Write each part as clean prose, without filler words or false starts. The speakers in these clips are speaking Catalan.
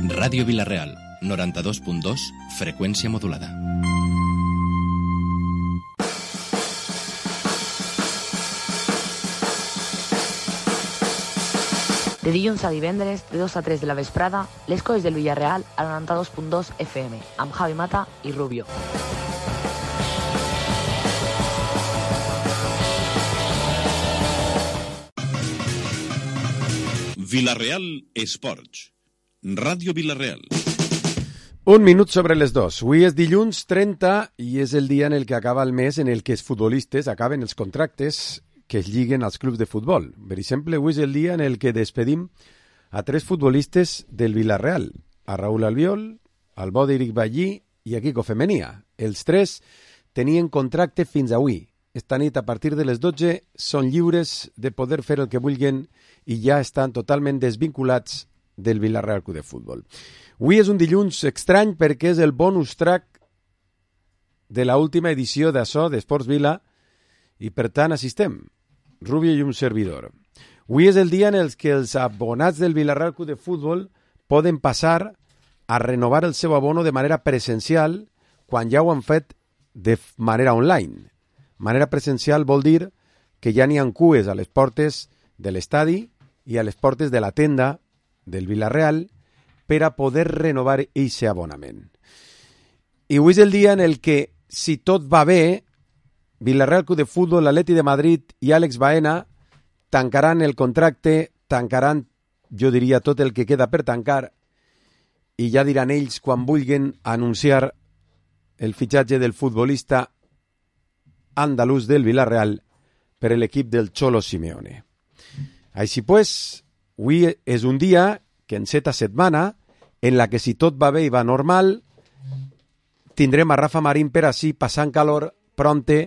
Ràdio Vila-real, 92.2, freqüència modulada. De dilluns a divendres, de 2 a 3 de la vesprada, les coses del Villarreal al 92.2 FM, amb Javi Mata i Rubio. Vila-real Esports. Ràdio Vila-real. Un minut sobre les 2. Avui és dilluns 30 i és el dia en el que acaba el mes en el que els futbolistes acaben els contractes que es lliguen als clubs de futbol. Per exemple, avui és el dia en el que despedim a 3 futbolistes del Villarreal, a Raúl Albiol, al Bòderic Ballí i a Quico Femenia. Els 3 tenien contracte fins avui. Esta nit, a partir de les 12, són lliures de poder fer el que vulguin i ja estan totalment desvinculats del Villarreal Club de Futbol. Avui és un dilluns estrany perquè és el bonus track de l'última edició d'això d'Esports Vila i per tant assistem, Rubio i un servidor. Avui és el dia en el que els abonats del Villarreal Club de Futbol poden passar a renovar el seu abono de manera presencial quan ja ho han fet de manera online. Manera presencial vol dir que ja n'hi ha cues a les portes de l'estadi i a les portes de la tenda del Villarreal per a poder renovar aquest abonament. I avui és el dia en el que, si tot va bé, Villarreal Club de Futbol, l'Atleti de Madrid i Àlex Baena tancaran el contracte, tancaran, jo diria, tot el que queda per tancar i ja diran ells quan vulguin anunciar el fitxatge del futbolista andalús del Villarreal per a l'equip del Cholo Simeone. Així pues, avui és un dia que enceta setmana en la que, si tot va bé i va normal, tindrem a Rafa Marín per així passant calor pronte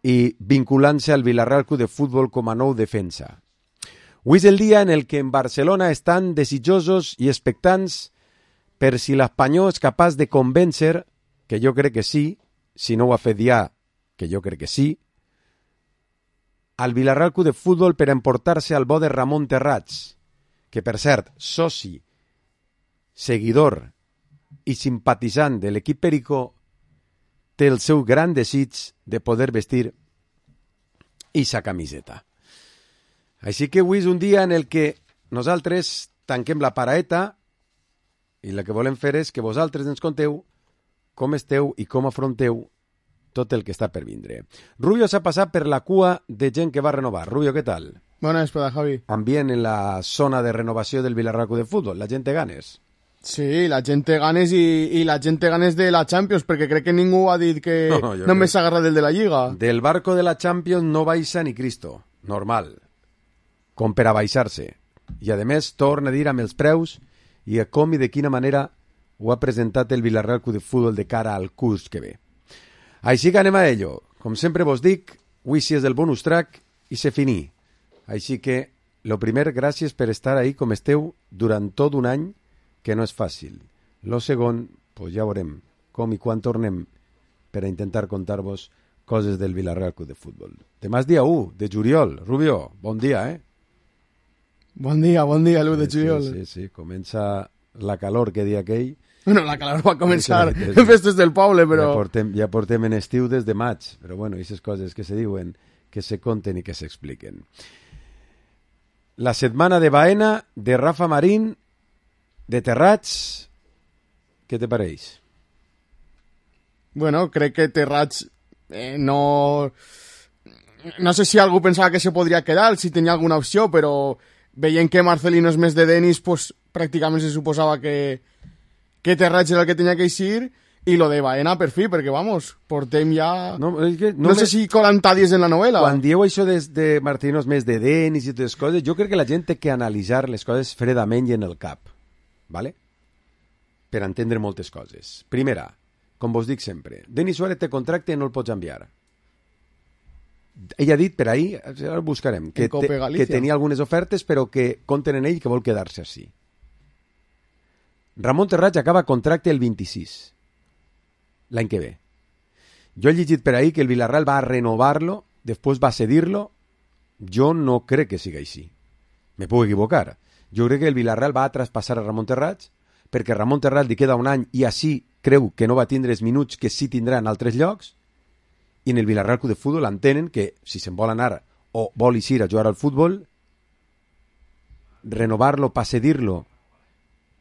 i vinculant-se al Villarreal Club de Futbol com a nou defensa. Avui és el dia en el que en Barcelona estan desitjosos i expectants per si l'Espanyol és capaç de convèncer, que jo crec que sí, si no ho ha fet ja, que jo crec que sí, al Villarreal Club de Futbol per emportar-se al bo de Ramon Terrats, que per cert, soci, seguidor i simpatitzant de l'equip Perico, té el seu gran desig de poder vestir eixa camiseta. Així que avui és un dia en el que nosaltres tanquem la paraeta i el que volem fer és que vosaltres ens conteu com esteu i com afronteu tot el que està per vindre. Rubio s'ha passat per la cua de gent que va renovar. Rubio, què tal? Bona vesprada, Javi. Ambient en la zona de renovació del Villarreal Club de Futbol. La gent té ganes. Sí, la gent té ganes i la gent té ganes de la Champions, perquè crec que ningú ha dit que només s'agarra del de la Lliga. Del barco de la Champions no baixa ni Cristo. Normal. Com per a baixar-se. I a més torna a dir amb els preus i a com i de quina manera ho ha presentat el Villarreal Club de Futbol de cara al curs que ve. Així que anem a ello. Com sempre vos dic, avui sí és el bonus track i se finí. Així que, lo primer, gràcies per estar ahí com esteu durant tot un any, que no és fàcil. Lo segon, pues ja veurem com i quan tornem per a intentar contar-vos coses del Villarreal Club de Futbol. Demà és dia 1 de juliol. Rubio, bon dia, eh? Bon dia, l'1 de juliol. Sí, comença la calor que dia aquell. Bueno, la calor va començar en festes del poble, però... Ja portem en estiu des de maig, però bueno, aquestes coses que se diuen, que se conten i que s'expliquen. La setmana de Baena, de Rafa Marín, de Terrats, què te pareix? Bueno, crec que Terrats no sé si algú pensava que se podria quedar, si tenia alguna opció, però veient que Marcelino és més de Denis, pues, pràcticament se suposava que Terrats era el que tenia que eixir, i lo de Baena per fi, perquè, vamos, portem ja... No sé si 40 dies en la novel·la. Quan dieu això de Marcelino és més de Denis i totes les coses, jo crec que la gent té que analitzar les coses fredament i en el cap, ¿vale? Per entendre moltes coses. Primera, com vos dic sempre, Denis Suárez té contracte i no el pots enviar. Ell ha dit per ahir, ara ho buscarem, que tenia algunes ofertes però que compten en ell que vol quedar-se així. Ramon Terrats acaba contracte el 26, l'any que ve. Jo he llegit per ahir que el Villarreal va a renovar-lo, després va a cedir-lo. Jo no crec que siga així. Me puc equivocar. Jo crec que el Villarreal va a traspassar a Ramon Terrats perquè Ramon Terrats li queda un any i així creu que no va tindre els minuts que sí tindrà en altres llocs, i en el Villarreal Club de Futbol entenen que si se'n vol anar o vol eixir a jugar al futbol, renovarlo para cedirlo,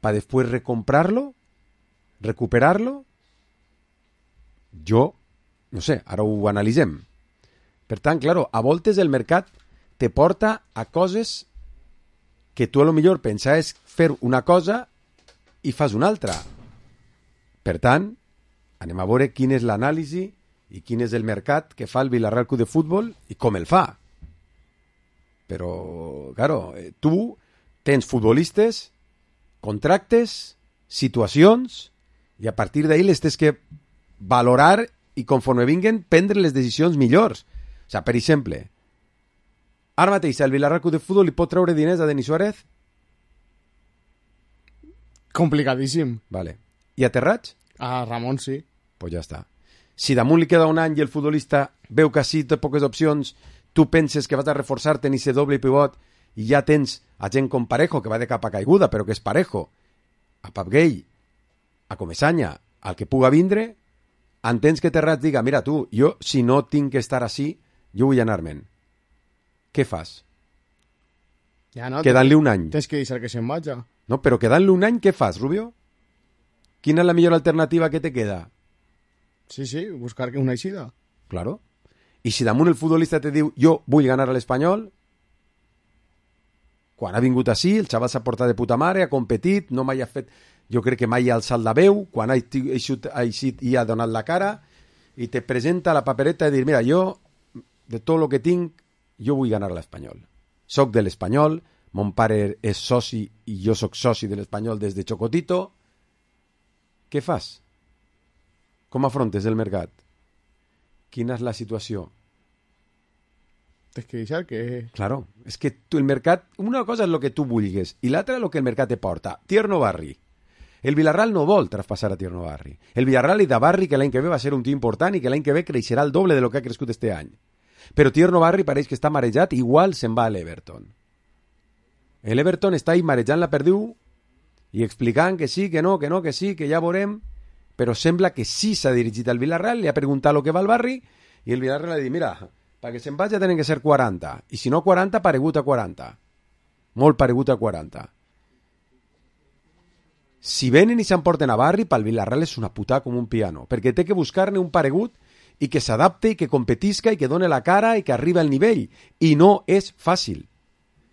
para después recomprarlo, recuperarlo, jo no sé, ara ho analitzem. Per tant, claro, a voltes el mercat te porta a coses que tu a lo millor pensaves fer una cosa i fas una altra. Per tant, anem a veure quin és l'anàlisi i quin és el mercat que fa el Villarreal Club de Futbol i com el fa. Però, claro, tu tens futbolistes, contractes, situacions, i a partir d'ahí les tens que valorar i conforme vinguen prendre les decisions millors. O sigui, per exemple, ara mateix el Villarreal Club de Futbol li pot treure diners a Denis Suárez? Complicadíssim. Vale. I a Terrats? A Ramon sí. Pues ja està. Si damunt li queda un any i el futbolista veu que sí té poques opcions, tu penses que vas a reforçar-te en ese doble pivot i ja tens a gent com Parejo, que va de capa caiguda, però que és Parejo, a Pap Gay, a Comesaña, al que puga vindre, entens que Terrats diga, mira tu, jo si no tinc que estar així, jo vull anar-me'n. Què fas? Ja no, Quedant-li un any. Tens que deixar que se'n vaja. No, però quedant-li un any, què fas, Rubio? Quina és la millor alternativa que te queda? Sí, buscar una eixida. Claro. I si damunt el futbolista te diu jo vull ganar a l'Espanyol, quan ha vingut així, el xaval s'ha portat de puta mare, ha competit, no mai ha fet, jo crec que mai ha alçat la veu, quan ha eixit i ha donat la cara, i te presenta la papereta de dir, mira, jo, de tot el que tinc, jo vull ganar a l'Espanyol. Soc de l'Espanyol, mon pare és soci i jo soc soci de l'Espanyol des de Chocotito. Què fas? Com afrontes el mercat? Quina és la situació? Tens que deixar que... Claro, és que tu, el mercat... Una cosa és el que tu vulguis i l'altra és el que el mercat te porta. Tierno Barri. El Villarreal no vol traspassar a Tierno Barri. El Villarreal i de Barri que l'any que ve va ser un tio important i que l'any que ve creixerà el doble de lo que ha crescut este any. Però Tierno Barri pareix que està marejat, igual se'n va a l'Everton. L'Everton està ahí marejant la perdiu i explicant que sí, que no, que sí, que ja veurem, però sembla que sí s'ha dirigit al Villarreal, li ha preguntat el que va al Barri i el Villarreal li ha dit, mira, perquè se'n vagi tenen que ser 40, i si no 40, paregut a 40. Molt paregut a 40. Si venen i s'emporten a Barri, pel Villarreal és una puta com un piano, perquè té que buscar-ne un paregut i que s'adapte i que competisca i que done la cara i que arribi al nivell. I no és fàcil.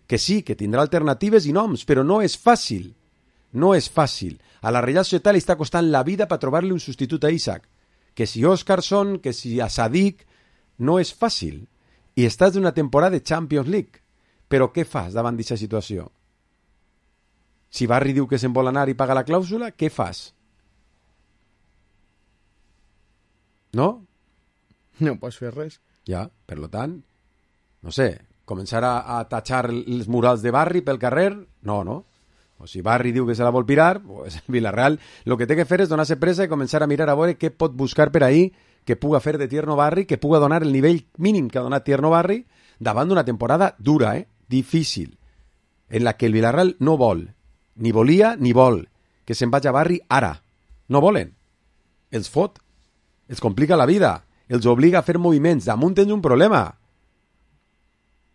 Que sí, que tindrà alternatives i noms, però no és fàcil. No és fàcil. A la Real Societat li està costant la vida per trobar-li un substitut a Isaac. Que si Óscarson, que si a Sadik, no és fàcil. I estàs d'una temporada de Champions League. Però què fas davant d'aquesta situació? Si Barri diu que se'n vol anar i paga la clàusula, què fas? No? No pots fer res. Ja, per lo tant, no sé, començar a tatxar els murals de Barri pel carrer? No, no. O si Barri diu que se la vol pirar, pues el Villarreal el que té que fer és donar-se pressa i començar a mirar a veure què pot buscar per ahí que puga fer de Tierno Barri, que puga donar el nivell mínim que ha donat Tierno Barri davant d'una temporada dura, difícil, en la que el Villarreal no vol, ni volia ni vol, que se'n vagi a Barri ara. No volen. Els fot. Els complica la vida. Els obliga a fer moviments. Damunt tens un problema.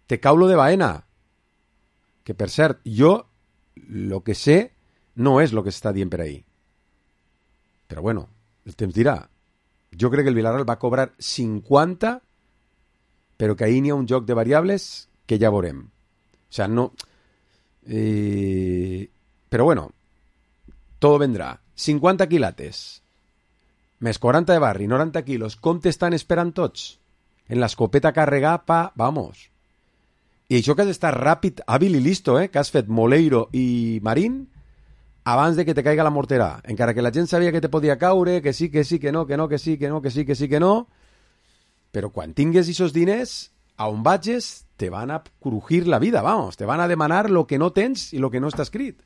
Te cau lo de Baena. Que, per cert, jo lo que sé no és lo que s'està dient per ahí. Però bueno, el temps dirà. Jo crec que el Villarreal va cobrar 50, però que ahí n'hi ha un joc de variables que ja veurem. O sea, no... Però bueno, todo vendrà. 50 quilates, més 40 de Barri, 90 quilos. Com t'estan esperant tots? En l'escopeta carregar, vamos. I això que has d'estar ràpid, hàbil i listo, que has fet Moleiro i Marín abans de que te caiga la morterà. Encara que la gent sabia que te podia caure, que sí, que sí, que no, que no, que sí, que no, que sí, que sí, que no. Però quan tingues aquests diners, a on vagis, te van a crujir la vida, vamos. Te van a demanar lo que no tens i lo que no està escrit.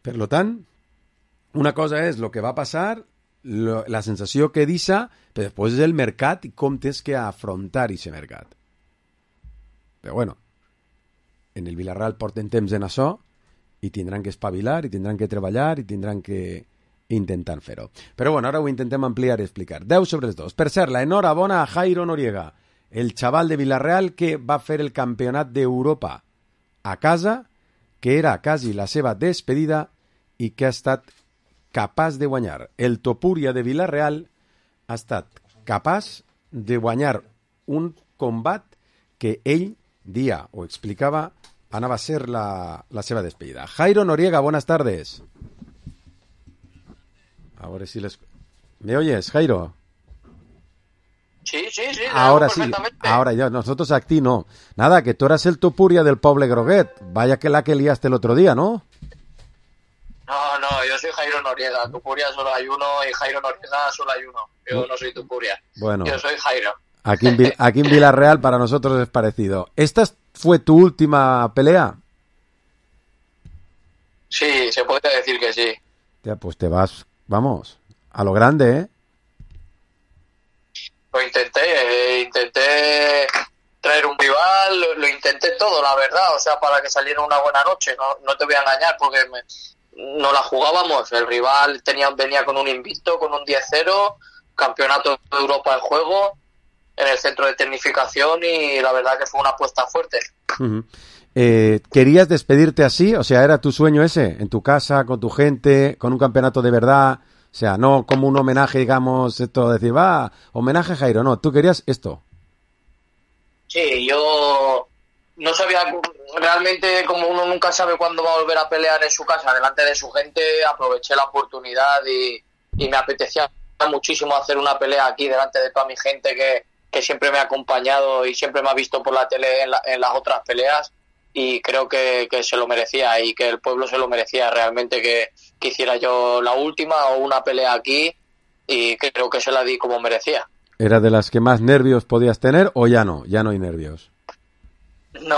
Per lo tant, una cosa és el que va passar, la sensació que deixa, però després és el mercat i com tens que afrontar aquest mercat. Però bueno, en el Villarreal porten temps en això i tindran que espavilar, i tindran que treballar, i tindran que intentar fer-ho. Però bueno, ara ho intentem ampliar i explicar. 10 sobre els 2. Per cert, la enhorabona a Jairo Noriega, el xaval de Villarreal que va fer el campionat d'Europa a casa, que era quasi la seva despedida i que ha estat capaç de guanyar. El Topuria de Villarreal ha estat capaç de guanyar un combat que ell dia o explicava anava a ser la seva despedida. Jairo Noriega, buenas tardes. Ahora sí les... ¿Me oyes, Jairo? Sí, ahora sí, ahora ya, nosotros a ti no. Nada, que tú eras el Topuria del Poble Groguet. Vaya que la que liaste el otro día, ¿no? No, yo soy Jairo Noriega. Topuria solo hay uno y Jairo Noriega solo hay uno. Yo no soy Topuria. Bueno, yo soy Jairo. Aquí en Villarreal para nosotros es parecido. ¿Esta fue tu última pelea? Sí, se puede decir que sí. Ya, pues te vas, vamos, a lo grande, ¿eh? Lo intenté traer un rival, lo intenté todo, la verdad, o sea, para que saliera una buena noche, no te voy a engañar, porque no la jugábamos, el rival venía con un invicto, con un 10-0, campeonato de Europa en juego, en el centro de tecnificación, y la verdad que fue una apuesta fuerte. Uh-huh. ¿Querías despedirte así? O sea, ¿era tu sueño ese? ¿En tu casa, con tu gente, con un campeonato de verdad? O sea, no como un homenaje, digamos, esto, decir, va, homenaje a Jairo, no, tú querías esto. Sí, yo no sabía, realmente como uno nunca sabe cuándo va a volver a pelear en su casa, delante de su gente, aproveché la oportunidad y me apetecía muchísimo hacer una pelea aquí delante de toda mi gente que siempre me ha acompañado y siempre me ha visto por la tele en las otras peleas, y creo que se lo merecía y que el pueblo se lo merecía realmente, que hiciera yo la última o una pelea aquí, y creo que se la di como merecía. ¿Era de las que más nervios podías tener o ya no hay nervios? No,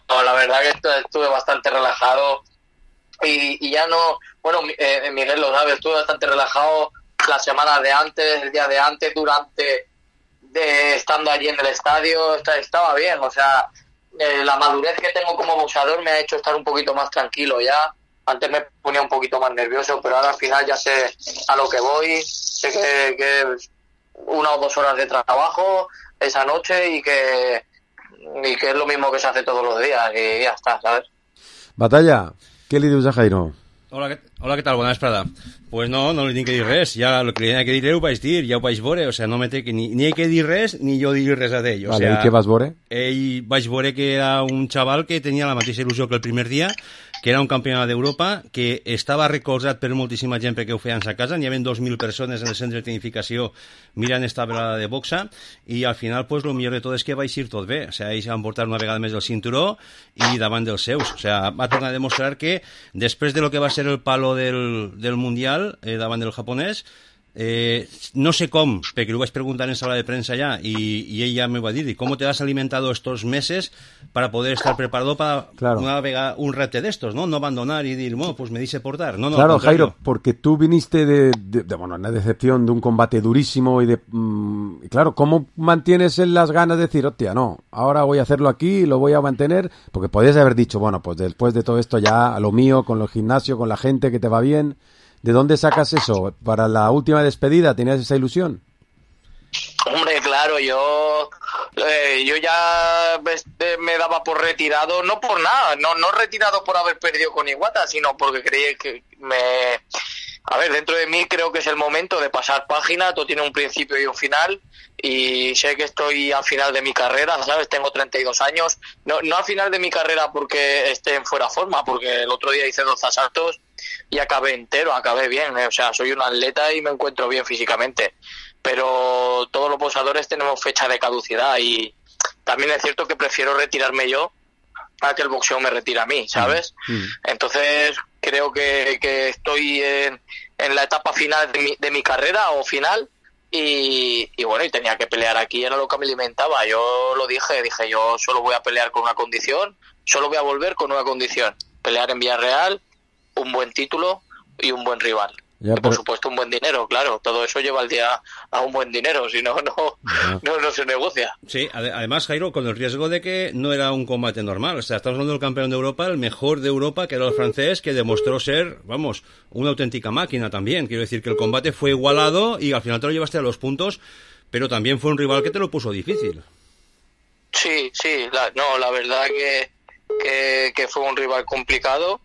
la verdad que estuve bastante relajado y ya no, bueno, Miguel lo sabe, estuve bastante relajado la semana de antes, el día de antes, estando allí en el estadio, estaba bien, o sea, la madurez que tengo como boxeador me ha hecho estar un poquito más tranquilo ya. Antes me ponía un poquito más nervioso, pero ahora al final ya sé a lo que voy, sé que 1 o 2 horas de trabajo esa noche y que es lo mismo que se hace todos los días y ya está, ¿sabes? Batalla, què li dius a Jairo? Hola, què tal? Bona vesprada. Pues no li tinc que dir res. Ja el que li havia que dir ho vaig dir, ja ho vaig veure. O sea, no me té que ni he que dir res, ni jo dir res a d'ell. O vale, sea, i què vas veure? Ell vaig veure que era un xaval que tenia la mateixa il·lusió que el primer dia, que era un campionat d'Europa, que estava recolzat per moltíssima gent perquè ho feien a casa. N'hi havia 2.000 persones en el centre de tecnificació mirant esta velada de boxa, i al final, pues, lo millor de tot és que va eixir tot bé. O sea, ells van portar una vegada més el cinturó i davant dels seus. O sea, va tornar a demostrar que després de lo que va ser el palo del Mundial davant del japonès, no sé com, perquè ho vaig preguntar en sala de premsa ya, y ella me va a decir, ¿cómo te has alimentado estos meses para poder estar preparado para un repte de estos, ¿no? No abandonar y decir, bueno, pues me dice portar. No, claro, Jairo, porque tú viniste de una decepción, de un combate durísimo y claro, ¿cómo mantienes las ganas de decir, hostia, no, ahora voy a hacerlo aquí, lo voy a mantener? Porque podías haber dicho, bueno, pues después de todo esto ya, a lo mío, con el gimnasio, con la gente que te va bien. ¿De dónde sacas eso? ¿Para la última despedida tenías esa ilusión? Hombre, claro, yo ya me daba por retirado, no por nada, no retirado por haber perdido con Iwata, sino porque creí que a ver, dentro de mí creo que es el momento de pasar página, todo tiene un principio y un final, y sé que estoy al final de mi carrera, ¿sabes? Tengo 32 años, no al final de mi carrera porque esté en fuera forma, porque el otro día hice 2 asaltos y acabé entero, acabé bien, o sea, soy un atleta y me encuentro bien físicamente, pero todos los boxeadores tenemos fecha de caducidad y también es cierto que prefiero retirarme yo a que el boxeo me retire a mí, ¿sabes? Entonces creo que estoy en la etapa final de mi carrera o final y bueno, y tenía que pelear aquí, era lo que me alimentaba. Yo lo dije, yo solo voy a pelear con una condición, solo voy a volver con una condición, pelear en Villarreal, un buen título y un buen rival. Ya, y por supuesto un buen dinero, claro. Todo eso lleva al día a un buen dinero, si no se negocia. Sí, además, Jairo, con el riesgo de que no era un combate normal. O sea, estamos hablando del campeón de Europa, el mejor de Europa, que era el francés, que demostró ser, vamos, una auténtica máquina también. Quiero decir que el combate fue igualado y al final te lo llevaste a los puntos, pero también fue un rival que te lo puso difícil. Sí, la verdad que fue un rival complicado.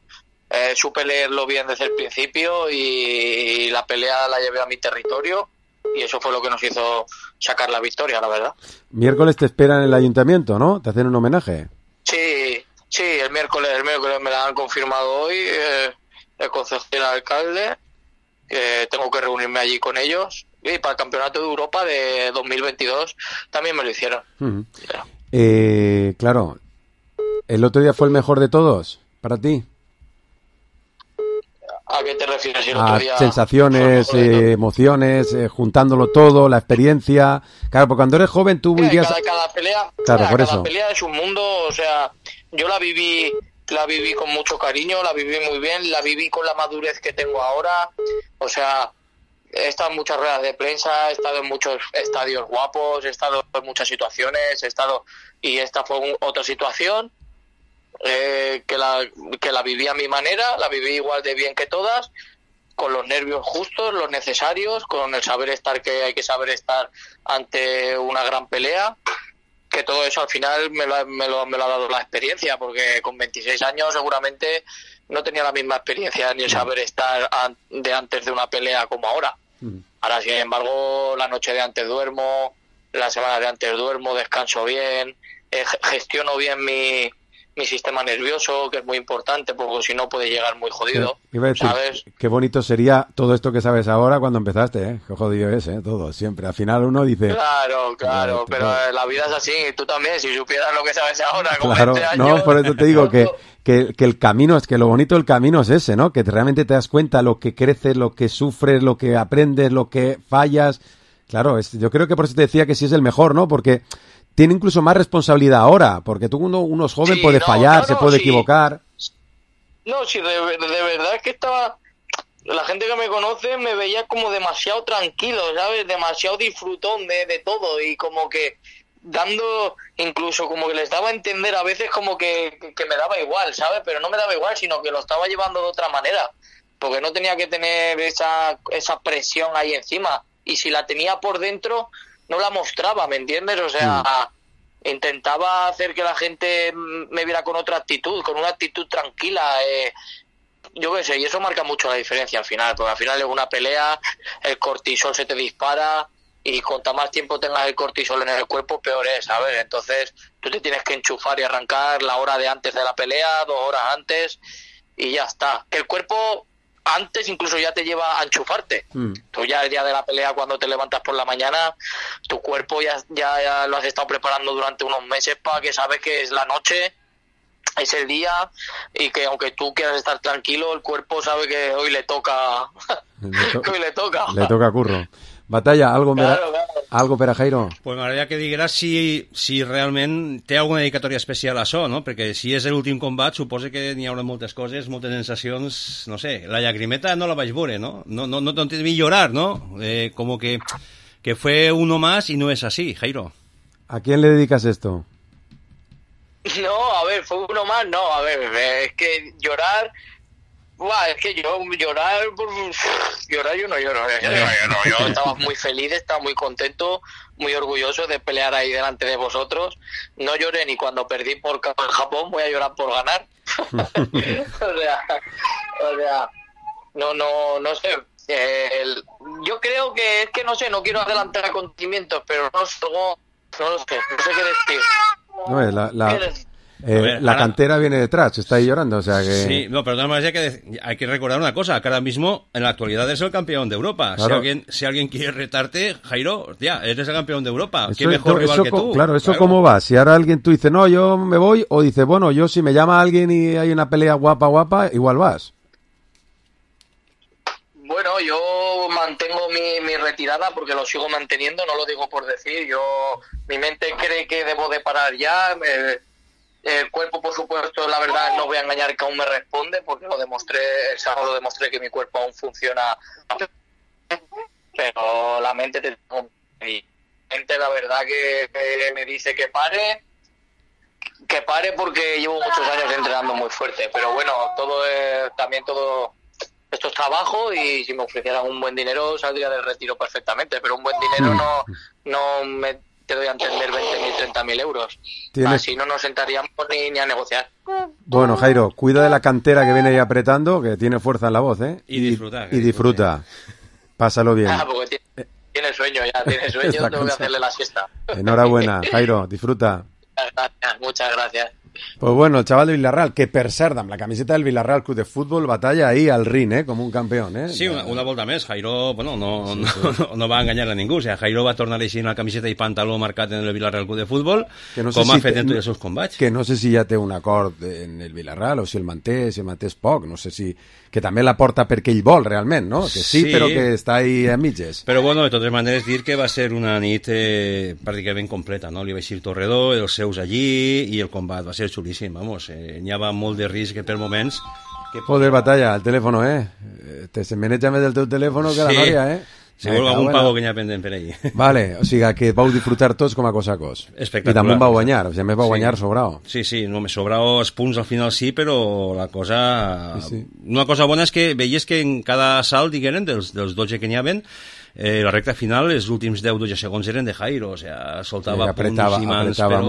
Supe leerlo bien desde el principio y la pelea la llevé a mi territorio y eso fue lo que nos hizo sacar la victoria, la verdad. Miércoles te esperan en el ayuntamiento, ¿no? ¿Te hacen un homenaje? Sí, el miércoles me la han confirmado hoy, el concejal y el alcalde, que tengo que reunirme allí con ellos. Y para el Campeonato de Europa de 2022 también me lo hicieron. Uh-huh. Claro, ¿el otro día fue el mejor de todos para ti? ¿A qué te refieres? El otro día sensaciones, emociones, juntándolo todo, la experiencia. Claro, porque cuando eres joven tú vivías... Cada pelea, cada pelea es un mundo, o sea, yo la viví con mucho cariño, la viví muy bien, la viví con la madurez que tengo ahora, o sea, he estado en muchas ruedas de prensa, he estado en muchos estadios guapos, he estado en muchas situaciones, y esta fue otra situación. Que la viví a mi manera, la viví igual de bien que todas, con los nervios justos, los necesarios, con el saber estar que hay que saber estar ante una gran pelea, que todo eso al final me lo ha dado la experiencia, porque con 26 años seguramente no tenía la misma experiencia ni el saber estar de antes de una pelea como ahora. Ahora, sin embargo, la noche de antes duermo, la semana de antes duermo, descanso bien, gestiono bien mi sistema nervioso, que es muy importante, porque si no puede llegar muy jodido. Sí, iba a decir, ¿sabes? Qué bonito sería todo esto que sabes ahora cuando empezaste, ¿eh? Qué jodido es, todo, siempre. Al final uno dice... Claro, pero la vida es así, tú también, si supieras lo que sabes ahora, con claro, 20 años... No, por eso te digo que el camino, es que lo bonito del camino es ese, ¿no? Que realmente te das cuenta lo que creces, lo que sufres, lo que aprendes, lo que fallas. Claro, yo creo que por eso te decía que sí es el mejor, ¿no? Porque... tiene incluso más responsabilidad ahora, porque uno es joven, puede fallar, se puede equivocar. No, sí, de verdad es que la gente que me conoce me veía como demasiado tranquilo, ¿sabes? Demasiado disfrutón de todo y como que dando, incluso como que les daba a entender a veces como que me daba igual, ¿sabes? Pero no me daba igual, sino que lo estaba llevando de otra manera, porque no tenía que tener esa presión ahí encima, y si la tenía por dentro... no la mostraba, ¿me entiendes? O sea, intentaba hacer que la gente me viera con otra actitud, con una actitud tranquila, yo qué sé, y eso marca mucho la diferencia al final, porque al final en una pelea el cortisol se te dispara y cuanto más tiempo tengas el cortisol en el cuerpo, peor es, ¿sabes? Entonces tú te tienes que enchufar y arrancar la hora de antes de la pelea, 2 horas antes, y ya está. Que el cuerpo... antes incluso ya te lleva a enchufarte. Tú ya el día de la pelea, cuando te levantas por la mañana, tu cuerpo ya lo has estado preparando durante unos meses para que sabes que es la noche, es el día, y que aunque tú quieras estar tranquilo, el cuerpo sabe que hoy le toca. Hoy le toca. Le toca curro. Batalla, algo per a Jairo? Pues m'agradaria que digueras si realment té alguna dedicatòria especial a això, no? Perquè si és l'últim combat, suposo que n'hi haurà moltes coses, moltes sensacions, no sé, la llagrimeta no la vaig veure, ¿no? No te vi llorar, ¿no? Como que fue uno más y no es así, Jairo. ¿A quién le dedicas esto? No, a ver, fue uno más, no, a ver, es que llorar... Buah, es que llorar yo no lloro. Yo estaba muy feliz, estaba muy contento, muy orgulloso de pelear ahí delante de vosotros. No lloré ni cuando perdí por Japón, voy a llorar por ganar. o sea, no sé. Yo creo que es que no sé, no quiero adelantar acontecimientos, pero no sé qué decir. La cantera viene detrás, está ahí llorando, o sea que... Sí, no, pero además hay que recordar una cosa, que ahora mismo en la actualidad es el campeón de Europa. Claro. Si alguien quiere retarte, Jairo, ya, eres el campeón de Europa. Qué mejor rival que tú. Claro, ¿eso cómo va? Si ahora alguien tú dices, no, yo me voy, o dice, bueno, yo si me llama alguien y hay una pelea guapa, igual vas. Bueno, yo mantengo mi retirada porque lo sigo manteniendo, no lo digo por decir. Mi mente cree que debo de parar ya. El cuerpo, por supuesto, la verdad, no voy a engañar, que aún me responde, porque el sábado demostré que mi cuerpo aún funciona, pero la mente la verdad que me dice que pare porque llevo muchos años entrenando muy fuerte, pero bueno, todo esto es trabajo, y si me ofrecieran un buen dinero saldría del retiro perfectamente, pero un buen dinero no me te doy a entender 20.000, 30.000 euros. Así no nos sentaríamos ni a negociar. Bueno, Jairo, cuida de la cantera que viene ahí apretando, que tiene fuerza en la voz, ¿eh? Y disfruta. Y disfruta. Pásalo bien. Porque tiene sueño, tengo que hacerle la siesta. Enhorabuena, Jairo, disfruta. Muchas gracias. Pues bueno, el chaval de Villarreal, que per cert, amb la camiseta del Villarreal Club de Fútbol, batalla ahí al ring, com un campió, Sí, una volta més. Jairo, bueno, no va enganyar a ningú. O sea, Jairo va tornar així en la camiseta i pantaló marcat en el Villarreal Club de Fútbol, com ha fet en tots els seus combats. Que no sé si ja té un acord en el Villarreal, o si el manté és poc, no sé si... Que també la porta perquè ell vol, realment, no? Que sí, però que està ahí a mitges. Però bueno, de totes maneres, dir que va ser una nit pràcticament completa, no? Li va eixir Torredó, els seus allí, i el combat va ser xulíssim, vamos. N'hi havia molt de risc per moments. Joder, Batalla, el teléfono, se maneja més el teu telèfon que la nòria, Segur algun pago que n'hi ha pendent per allí. Vale, o sigui que vau disfrutar tots com a cos a cos. Espectacular. I també vau guanyar, o sigui, més vau guanyar sobrao. Sí, no, me sobrao els punts al final sí, però la cosa... Sí. Una cosa bona és que veies que en cada salt, digueren, dels 12 que n'hi havien, la recta final, els últims 10-12 segons eren de Jairo, o sea, soltava punts i mans, però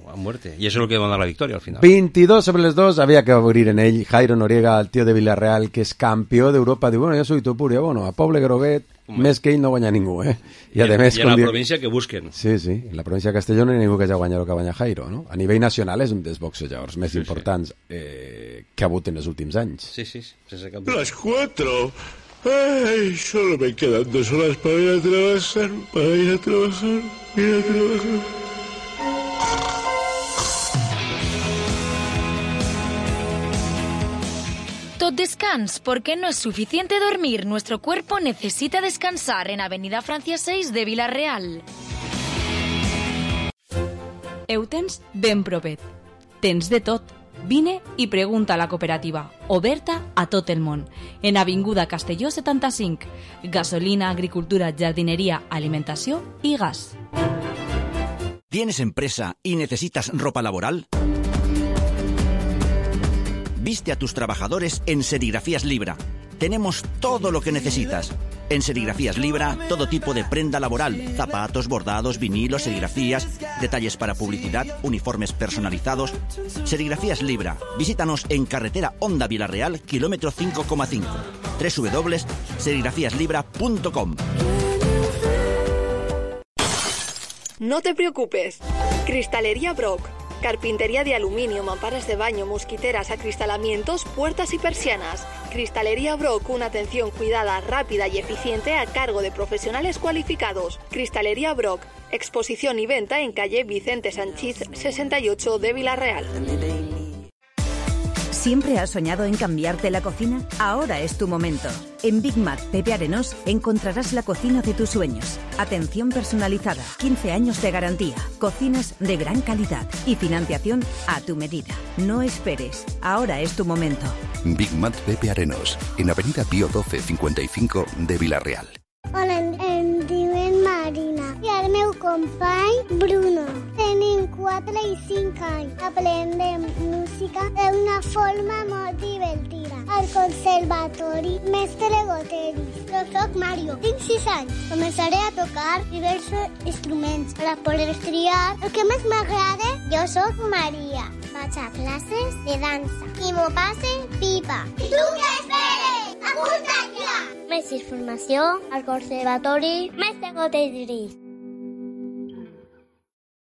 a muerte. I això és el que dona la victòria al final. 22 sobre les 2, había que abrir en ell. Jairo Noriega, el tío de Villarreal, que és campió d'Europa, diu, bueno, jo soy Topuria, bueno, a Poble Groguet, més que ell no guanya ningú, I a la província que busquen. Sí, en la província de Castelló no hi ha ningú que hagi guanyat el que guanya Jairo, no? A nivell nacional és un dels boxejadors més importants que ha hagut en els últims anys. Sí, sense cap dubte. Las 4. Ay, solo me quedan 2 horas para ir a trabajar, Tot descans, porque no es suficiente dormir. Nuestro cuerpo necesita descansar en Avenida Francia 6 de Villarreal. Ho tens ben propet. Tens de tot. Vine i pregunta a la cooperativa, oberta a tot el món, en Avinguda Castelló 75. Gasolina, agricultura, jardinería, alimentació i gas. ¿Tienes empresa y necesitas ropa laboral? Viste a tus trabajadores en Serigrafías Libra. Tenemos todo lo que necesitas. En Serigrafías Libra, todo tipo de prenda laboral, zapatos, bordados, vinilos, serigrafías, detalles para publicidad, uniformes personalizados. Serigrafías Libra. Visítanos en carretera Honda Villarreal, kilómetro 5,5. www.serigrafiaslibra.com. No te preocupes. Cristalería Brock. Carpintería de aluminio, mamparas de baño, mosquiteras, acristalamientos, puertas y persianas. Cristalería Brock, una atención cuidada, rápida y eficiente a cargo de profesionales cualificados. Cristalería Brock, exposición y venta en calle Vicente Sanchís 68 de Villarreal. ¿Siempre has soñado en cambiarte la cocina? Ahora es tu momento. En Big Mac Pepe Arenós encontrarás la cocina de tus sueños. Atención personalizada, 15 años de garantía, cocinas de gran calidad y financiación a tu medida. No esperes, ahora es tu momento. Big Mac Pepe Arenós, en Avenida Pío 12 55 de Villarreal. Hola, em diuen Marina i el meu company Bruno. Tenim 4 i 5 anys. Aprendem música d'una forma molt divertida. Al conservatori Mestre Goteris. Jo soc Mario, tinc 6 anys. Començaré a tocar diversos instruments per a poder triar el que més m'agrada. Jo soc Maria. Vaig a classes de dansa i m'ho passe pipa. I tu què esperes? Apunta't ja! Més informació al Conservatori Mestre Goteris.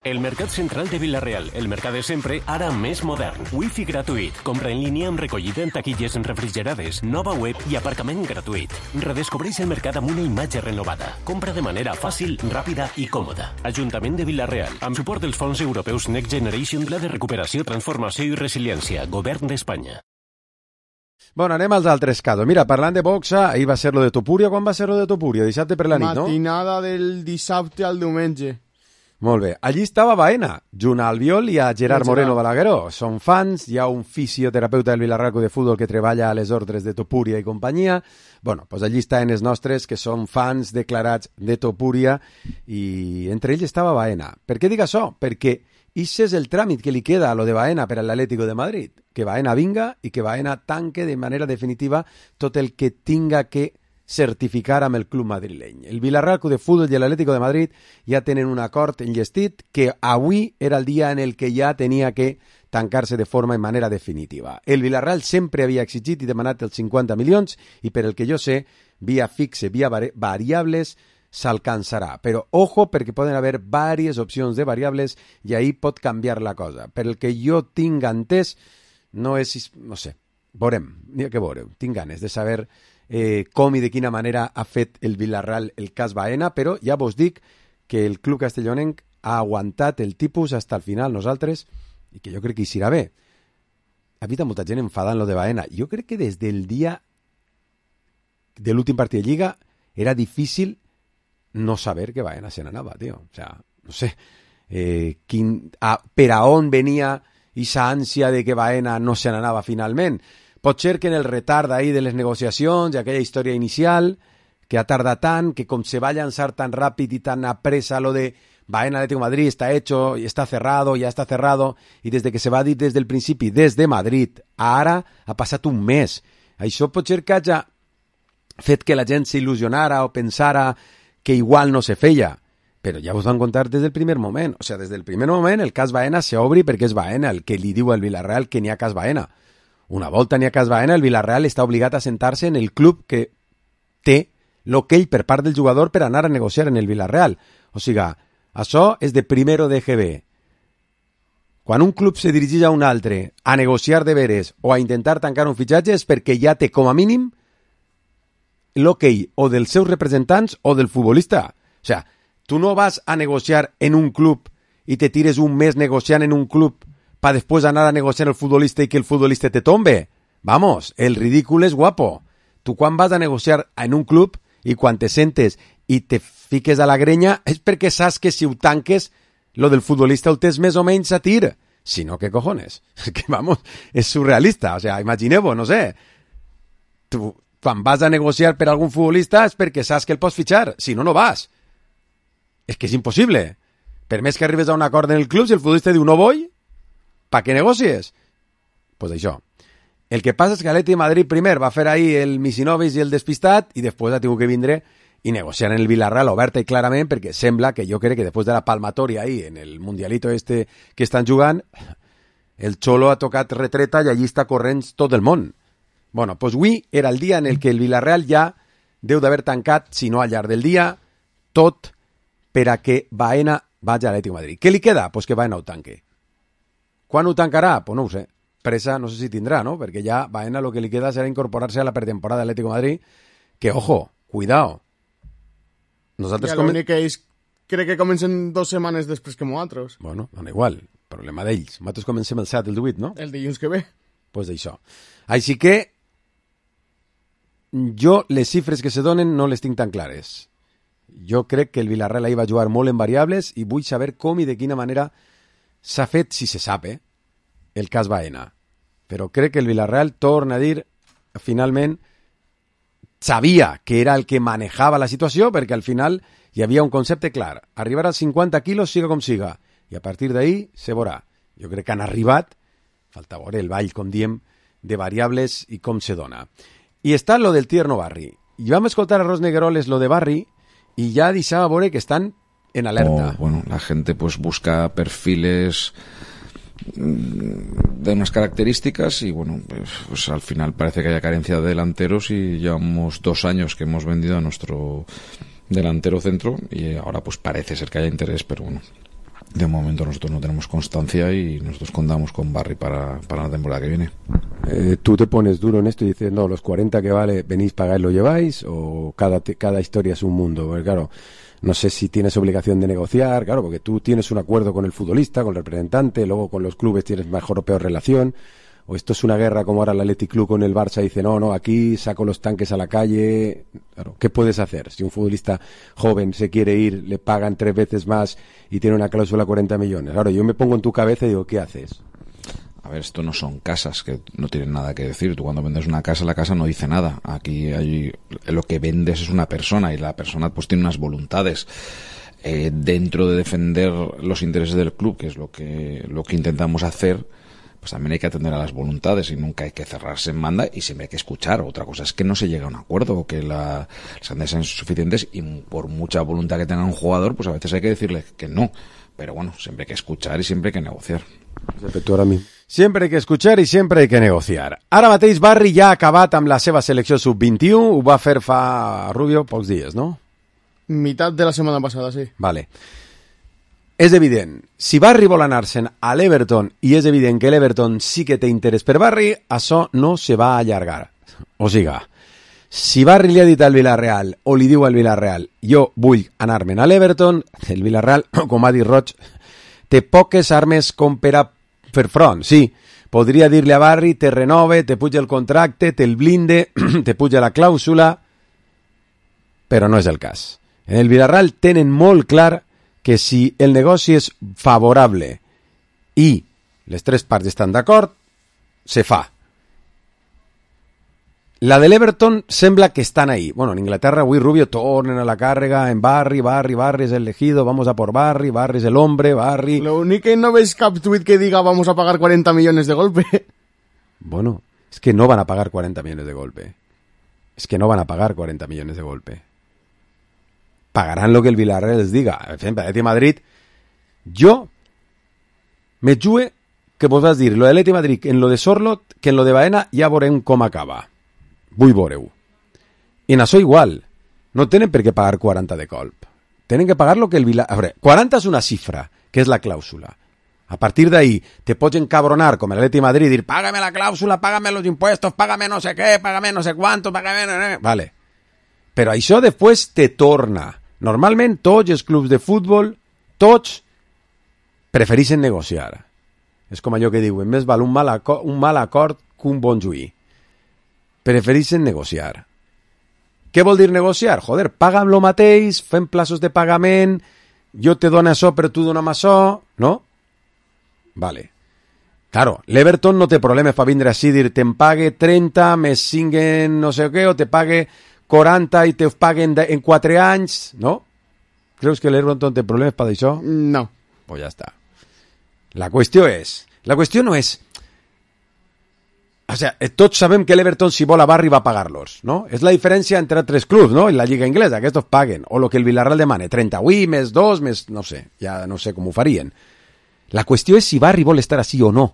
El Mercat Central de Villarreal, el mercat de sempre, ara més modern. Wi-Fi gratuït, compra en línia amb recollida en taquilles refrigerades, nova web i aparcament gratuït. Redescobreix el mercat amb una imatge renovada. Compra de manera fàcil, ràpida i còmoda. Ajuntament de Villarreal, amb suport dels fons europeus Next Generation, Pla de Recuperació, Transformació i Resiliència, Govern d'Espanya. Bueno, anem als altres casos. Mira, parlant de boxa, ahir va ser lo de Topuria. Quan va ser lo de Topuria? Dissabte per la nit, no? Matinada del dissabte al diumenge. Molt bé. Allí estava Baena, junt a Albiol i a Gerard Moreno Balagueró. Són fans, hi ha un fisioterapeuta del Vilarreal Club de Futbol que treballa a les ordres de Topúria i companyia. Bueno, doncs allí estan els nostres, que són fans declarats de Topúria, i entre ells estava Baena. Per què dic això? Perquè ix és el tràmit que li queda a lo de Baena per a l'Atlético de Madrid. Que Baena vinga i que Baena tanque de manera definitiva tot el que tinga que certificar amb el club madrileny. El Vilarreal Club de Futbol i l'Atlético de Madrid ja tenen un acord enllestit que avui era el dia en el que ja tenia que tancar-se de forma i manera definitiva. El Vilarreal sempre havia exigit i demanat els 50 milions i per el que jo sé, via fixe, via variables, s'alcançarà. Però ojo, perquè poden haver diverses opcions de variables i ahí pot canviar la cosa. Per el que jo tinc entès, no és... no sé, veurem, n'hi ha que veure. Tinc ganes de saber com i de quina manera ha fet el Vilarreal el cas Baena, però ja vos dic que el club castellonenc ha aguantat el tipus fins al final nosaltres i que jo crec que hi serà bé. Ha hagut molta gent enfadant lo de Baena. Jo crec que des del dia de l'últim partit de Lliga era difícil no saber que Baena se n'anava, tio. O sea, no sé per a on venia esa ànsia de que Baena no se n'anava finalment. Pot ser que en el retard ahí de les negociacions i aquella història inicial, que ha tardat tant, que com se va llançar tan ràpid i tan apresa lo de Baena Atlético de Madrid está hecho, y está cerrado, ya está cerrado, i des de que se va dir des del principi, des de Madrid, ara ha passat un mes. Això pot ser que hagi fet que la gent s'il·lusionara o pensara que igual no se feia, però ja us van contar des del primer moment. O sea, des del primer moment el cas Baena s'obri perquè és Baena el que li diu al Vilarreal que n'hi ha cas Baena. Una volta n'hi ha cas Baena, el Vilarreal està obligat a sentar-se en el club que té l'okey per part del jugador per anar a negociar en el Vilarreal. O sigui, això és de primero de GB. Quan un club se dirigeix a un altre a negociar de veres o a intentar tancar un fitxatge és perquè ja té com a mínim l'okey o dels seus representants o del futbolista. O sigui, tu no vas a negociar en un club i te tires un mes negociant en un club para después anar a negociar el futbolista y que el futbolista te tombe. Vamos, el ridícul és guapo. Tu quan vas a negociar en un club i quan te sentes i te fiques a la grenya és perquè saps que si ho tanques lo del futbolista ho tens més o menys a tir. Si no, ¿qué cojones? Es que vamos, és surrealista. O sea, imagineu-vos, no sé. Tu quan vas a negociar per algun futbolista és perquè saps que el pots fitxar. Si no, no vas. És que és impossible. Per més que arribes a un acord en el club, si el futbolista diu no voy, ¿para qué negocies? Pues això. El que passa és que l'Atlètic de Madrid primer va fer ahí el Misinovis i el despistat i després ha tingut que vindre i negociar en el Vilarreal oberta i clarament perquè sembla que jo crec que després de la palmatoria ahí en el mundialito este que estan jugant el Cholo ha tocat retreta i allí està corrent tot el món. Bueno, pues avui era el dia en el que el Vilarreal ja deu d'haver tancat, si no al llarg del dia, tot per a que Baena vagi a l'Atlètic de Madrid. Què li queda? Pues que Baena ho tanque. Quan ho tancarà? Pues no ho sé. Presa no sé si tindrà, ¿no? Perquè ja Baena lo que li queda serà incorporarse a la pretemporada de l'Atlético de Madrid, que, ojo, cuidado. Nosaltres ja l'únic que ells crec que comencen 2 setmanes després que nosaltres. Bueno, dona igual. Problema d'ells. Nosaltres comencem el 7, el 18, no? El dilluns que ve. Pues d'això. Així que jo les xifres que se donen no les tinc tan clares. Jo crec que el Vilarreal ahí va jugar molt en variables i vull saber com i de quina manera s'ha fet, si se sap, el cas Baena. Però crec que el Vilarreal, torna a dir, finalment, sabia que era el que manejava la situació, perquè al final hi havia un concepte clar. Arribar als 50 quilos, siga com siga. I a partir d'ahí se veurà. Jo crec que han arribat, falta veure el ball, com diem, de variables i com se dona. I està lo del Tierno Barri. I vam escoltar a Ros Negueroles lo de Barri i ja deixava veure que estan en alerta. Bueno, la gente pues busca perfiles de unas características y bueno, pues al final parece que haya carencia de delanteros y llevamos 2 años que hemos vendido a nuestro delantero centro y ahora pues parece ser que haya interés, pero bueno, de momento nosotros no tenemos constancia y nosotros contamos con Barry para la temporada que viene. ¿Tú te pones duro en esto y dices, no, los 40 que vale, venís, pagáis, lo lleváis? ¿O cada historia es un mundo? Porque claro, no sé si tienes obligación de negociar, claro, porque tú tienes un acuerdo con el futbolista, con el representante, luego con los clubes tienes mejor o peor relación. o esto es una guerra como ahora el Athletic Club con el Barça dice, no, aquí saco los tanques a la calle. Claro, ¿qué puedes hacer? Si un futbolista joven se quiere ir, le pagan 3 veces más y tiene una cláusula de 40 millones. Claro, yo me pongo en tu cabeza y digo, ¿qué haces? A ver, esto no son casas que no tienen nada que decir. Tú cuando vendes una casa, la casa no dice nada. Aquí lo que vendes es una persona y la persona pues tiene unas voluntades. Dentro de defender los intereses del club, que es lo que intentamos hacer, pues también hay que atender a las voluntades y nunca hay que cerrarse en banda y siempre hay que escuchar. Otra cosa es que no se llega a un acuerdo o que las cantidades sean suficientes y por mucha voluntad que tenga un jugador, pues a veces hay que decirle que no. Pero bueno, siempre hay que escuchar y siempre hay que negociar. Siempre hay que escuchar i sempre hay que negociar. Ara mateix Barri ja ha acabat amb la seva selecció sub-21, ho va fer fa, Rubio, pocs dies, no? Mitad de la setmana passada, sí. Vale. És evident, si Barri vol anar-se'n a l'Everton i és evident que l'Everton sí que té interès per Barri, això no se va allargar. O siga, si Barri li ha dit al Villarreal o li diu al Villarreal jo vull anar-me'n a l'Everton, el Villarreal, com ha dit Roig, té poques armes com per a fer front. Sí, podria dir-li a Barri, te renove, te puja el contracte, te'l blinde, te puja la clàusula, però no és el cas. En el Villarreal tenen molt clar que si el negoci és favorable i les 3 parts estan d'acord, se fa. La de l'Everton sembla que estan ahí. Bueno, en Inglaterra avui Rubio tornen a la càrrega en Barri és el elegido, vamos a por Barri és el hombre, Barri... Lo único que no veis cap tuit que diga vamos a pagar 40 millones de golpe. Bueno, es que no van a pagar 40 millones de golpe. Es que no van a pagar 40 millones de golpe. Pagarán lo que el Villarreal les diga. Per exemple, l'Atleti Madrid, jo me jue que vos vas dir lo de l'Atleti Madrid en lo de Sorlot que en lo de Baena ja veurem com acaba. Vull veure-ho. I en això igual. No tenen per què pagar 40 de colp. Tenen que pagar lo que el Villarreal... A veure, 40 és una xifra, que és la clàusula. A partir d'ahí te pots encabronar com el Atleti Madrid i dir págame la clàusula, págame los impuestos, págame no sé què, págame no sé cuánto, págame... Vale. Però això després te torna. Normalment tots els clubs de futbol, tots prefereixen negociar. És com allò que diuen, més val un mal acord que un bon juí. Prefereixen negociar. Què vol dir negociar? Joder, paga'm lo mateix, fem plaços de pagament, jo te dono això però tu dona'm això, no? Vale. Claro, l'Everton no té problema per vindre així i dir te'n pague 30 més 5 en no sé què, o te pague 40 i te paguen en 4 anys, no? Creus que l'Everton té problemes per això? No. Pues ja està. La qüestió no és... O sea, tots sabem que l'Everton si vol a Barri va a pagar-los, no? És la diferència entre 3 clubs, no? En la Lliga Inglesa, que estos paguen. O lo que el Villarreal demane, 30 avui, més 2, més... no sé, ja no sé com ho farien. La qüestió és si Barri vol estar així o no.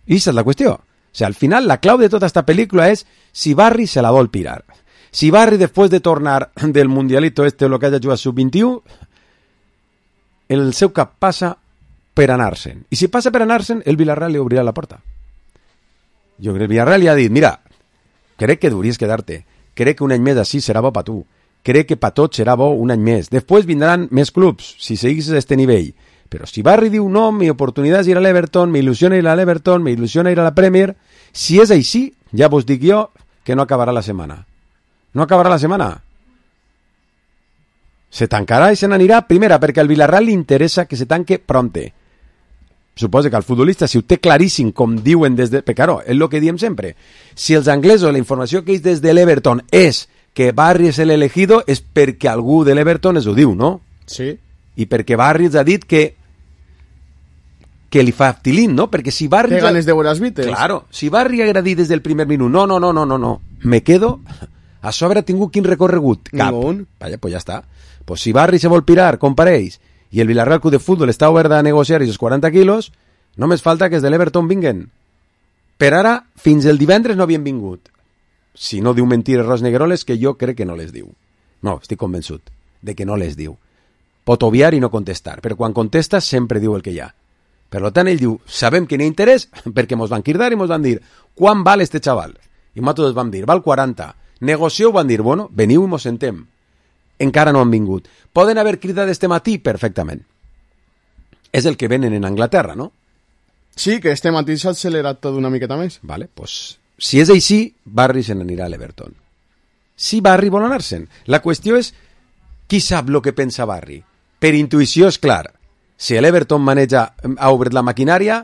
I aquesta és la qüestió. O sea, al final, la clau de tota esta pel·lícula és si Barri se la vol pirar. Si Barri, després de tornar del Mundialito este o lo que haya jugat sub-21, el seu cap passa per anar-se'n. I si passa per anar-se'n, el Villarreal li obrirà la porta. Jo crec que el Villarreal li ha dit, mira, crec que devries quedar-te, crec que un any més així serà bo per tu, crec que per tots serà bo un any més, després vindran més clubs, si seguis a este nivell, però si Barri diu no, mi oportunitat és ir a l'Everton, m'il·lusiona ir a l'Everton, m'il·lusiona ir a la Premier, si és així, ja vos dic jo que no acabarà la setmana. No acabarà la setmana. Se tancarà i se n'anirà, primera, perquè al Villarreal li interessa que se tanque pronte. Suposa que el futbolista, si ho té claríssim, com diuen des de... Perquè, claro, és el que diem sempre. Si els anglesos, la informació que és des de l'Everton és que Barri és l'elegido, és perquè algú de l'Everton es ho diu, no? Sí. I perquè Barri ens ha dit que li fa tilín, no? Perquè si Barri... Té ganes de veure els Beatles. Claro, si Barri haguera dit des del primer minut, no, me quedo... A sobre ha tingut quin recorregut? Cap. Ningún. Vaya, pues ja està. Pues si Barri se vol pirar, com pareix, i el Villarreal Club de Futbol està obert a negociar aquests 40 quilos, només falta que els de l'Everton vinguen. Per ara, fins el divendres no havien vingut. Si no diu mentires Ros Negueroles, que jo crec que no les diu. No, estic convençut de que no les diu. Pot obviar i no contestar, però quan contesta sempre diu el que hi ha. Per tant, ell diu, sabem que n'hi ha interès, perquè mos van cridar i mos van dir, quan val este xaval? I nosaltres vam dir, val 40. Negocieu, van dir, bueno, veniu i mos sentem. Encara no han vingut. Poden haver cridat este matí? Perfectament. És el que venen en Anglaterra, no? Sí, que este matí s'ha accelerat tot una miqueta més. Vale, pues, si és així, Barry se n'anirà a l'Everton. Si Barry vol anar-se'n. La qüestió és qui sap el que pensa Barry. Per intuïció és clar. Si l'Everton ha obert la maquinària,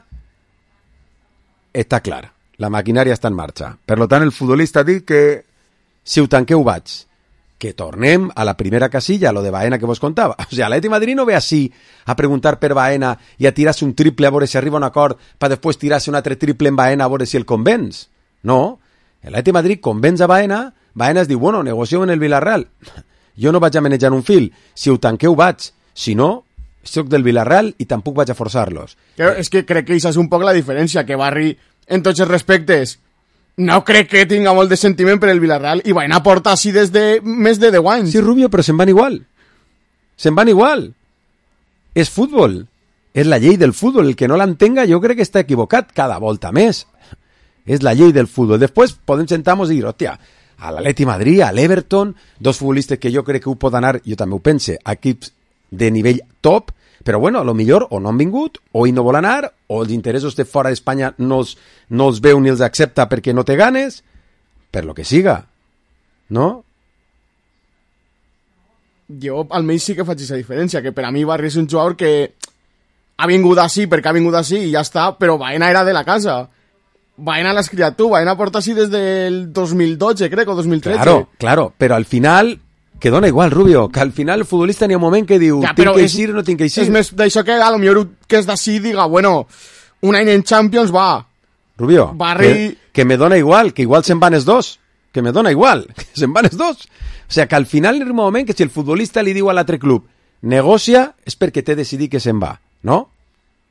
està clar. La maquinària està en marxa. Per tant, el futbolista ha dit que si ho tanqueu vaig. Que tornem a la primera casilla, lo de Baena que vos contava. O sigui, l'Atleti Madrid no ve així a preguntar per Baena i a tirar-se un triple a veure si arriba a un acord per després tirar-se un altre triple en Baena a veure si el convenç. No. L'Atleti Madrid convenç a Baena, Baena es diu, bueno, negocio en el Villarreal. Jo no vaig a manejar un fil. Si ho tanqueu vaig. Si no, soc del Villarreal i tampoc vaig a forçar-los. És que crec que això és un poc la diferència, que Barry, en tots els respectes, no crec que tinga molt de sentiment per el Villarreal i Baena porta així des de més de 10 anys. Sí, Rubio, però se'n van igual. Se'n van igual. És futbol. És la llei del futbol. El que no l'entenga jo crec que està equivocat cada volta més. És la llei del futbol. Després podem sentar-nos i dir, hòstia, a l'Atleti Madrid, a l'Everton, dos futbolistes que jo crec que ho poden anar, jo també ho pense, equips de nivell top, però bueno, a lo millor o no han vingut, o ell no vol anar, o els interessos de fora d'Espanya no els veu ni els accepta perquè no té ganes, per lo que siga, no? Jo almenys sí que faig aquesta diferència, que per a mi Barry és un jugador que ha vingut així perquè ha vingut així i ja està, però Baena era de la casa. Baena l'has criat tu, Baena porta així des del 2012, crec, o 2013. Claro, però al final... Que dona igual, Rubio, que al final el futbolista n'hi ha un moment que diu ja, tinc que eixir o no tinc que eixir. És més d'això que a lo millor que és d'ací diga, bueno, un any en Champions va. Rubio, Barry... que me dona igual, que igual se'n van els dos. Que me dona igual, que se'n van els dos. O sigui, que al final hi ha un moment que si el futbolista li diu a l'altre club negocia, és perquè té decidit que se'n va, no?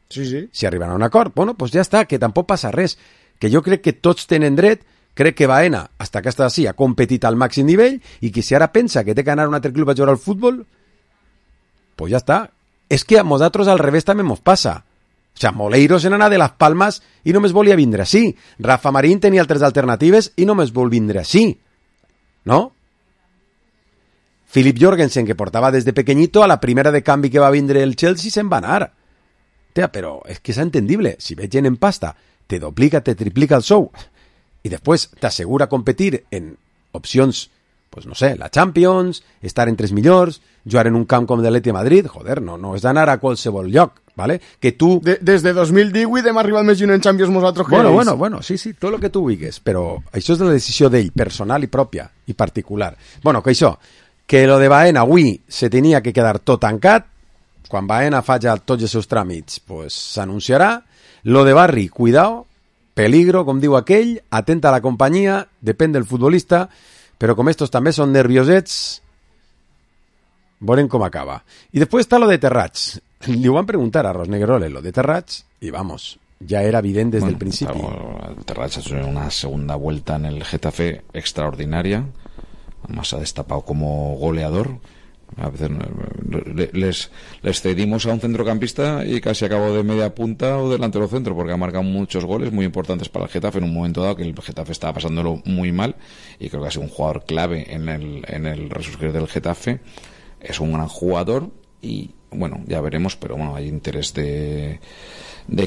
Sí, sí. Si arriben a un acord, bueno, pues ja està, que tampoc passa res. Que jo crec que tots tenen dret. Crec que Baena, hasta que està així, ha competit al màxim nivell i que si ara pensa que té que anar a un altre club a jugar al futbol, pues ja està. És que a nosaltres al revés també mos passa. O sigui, Moleiro se n'anà de Las Palmas i només volia vindre així. Rafa Marín tenia altres alternatives i només vol vindre així. No? Philip Jorgensen, que portava des de pequeñito, a la primera de canvi que va vindre el Chelsea se'n va anar. Tia, però és que és entendible. Si veig gent en pasta, te duplica, te triplica el sou. I després t'assegura competir en opcions, pues no sé, la Champions, estar entre els millors, jugar en un camp com l'Atleti Madrid, joder, no és d'anar a qualsevol lloc, ¿vale? Que tu... Des de 2018 hem arribat més en Champions nosaltres que Bueno, sí, tot el que tu vulguis, però això és la decisió d'ell, personal i pròpia, i particular. Bueno, que això, que lo de Baena avui se tenia que quedar tot tancat, quan Baena faci tots els seus tràmits, pues s'anunciarà. Lo de Barry, cuidao, peligro, com diu aquell, atenta a la companyia, depèn del futbolista, però com estos també són nerviosets, veurem com acaba. I després està lo de Terrats. Li ho van preguntar a Rosneguerole, lo de Terrats, y vamos, ya era evidente desde el principio. Terrats ha hecho una segunda vuelta en el Getafe extraordinaria, además ha destapado como goleador. A veces les cedimos a un centrocampista y casi acabó de media punta o delantero centro, porque ha marcado muchos goles muy importantes para el Getafe en un momento dado que el Getafe estaba pasándolo muy mal, y creo que ha sido un jugador clave en el resurgir del Getafe. Es un gran jugador y bueno, ya veremos, pero bueno, hay interés de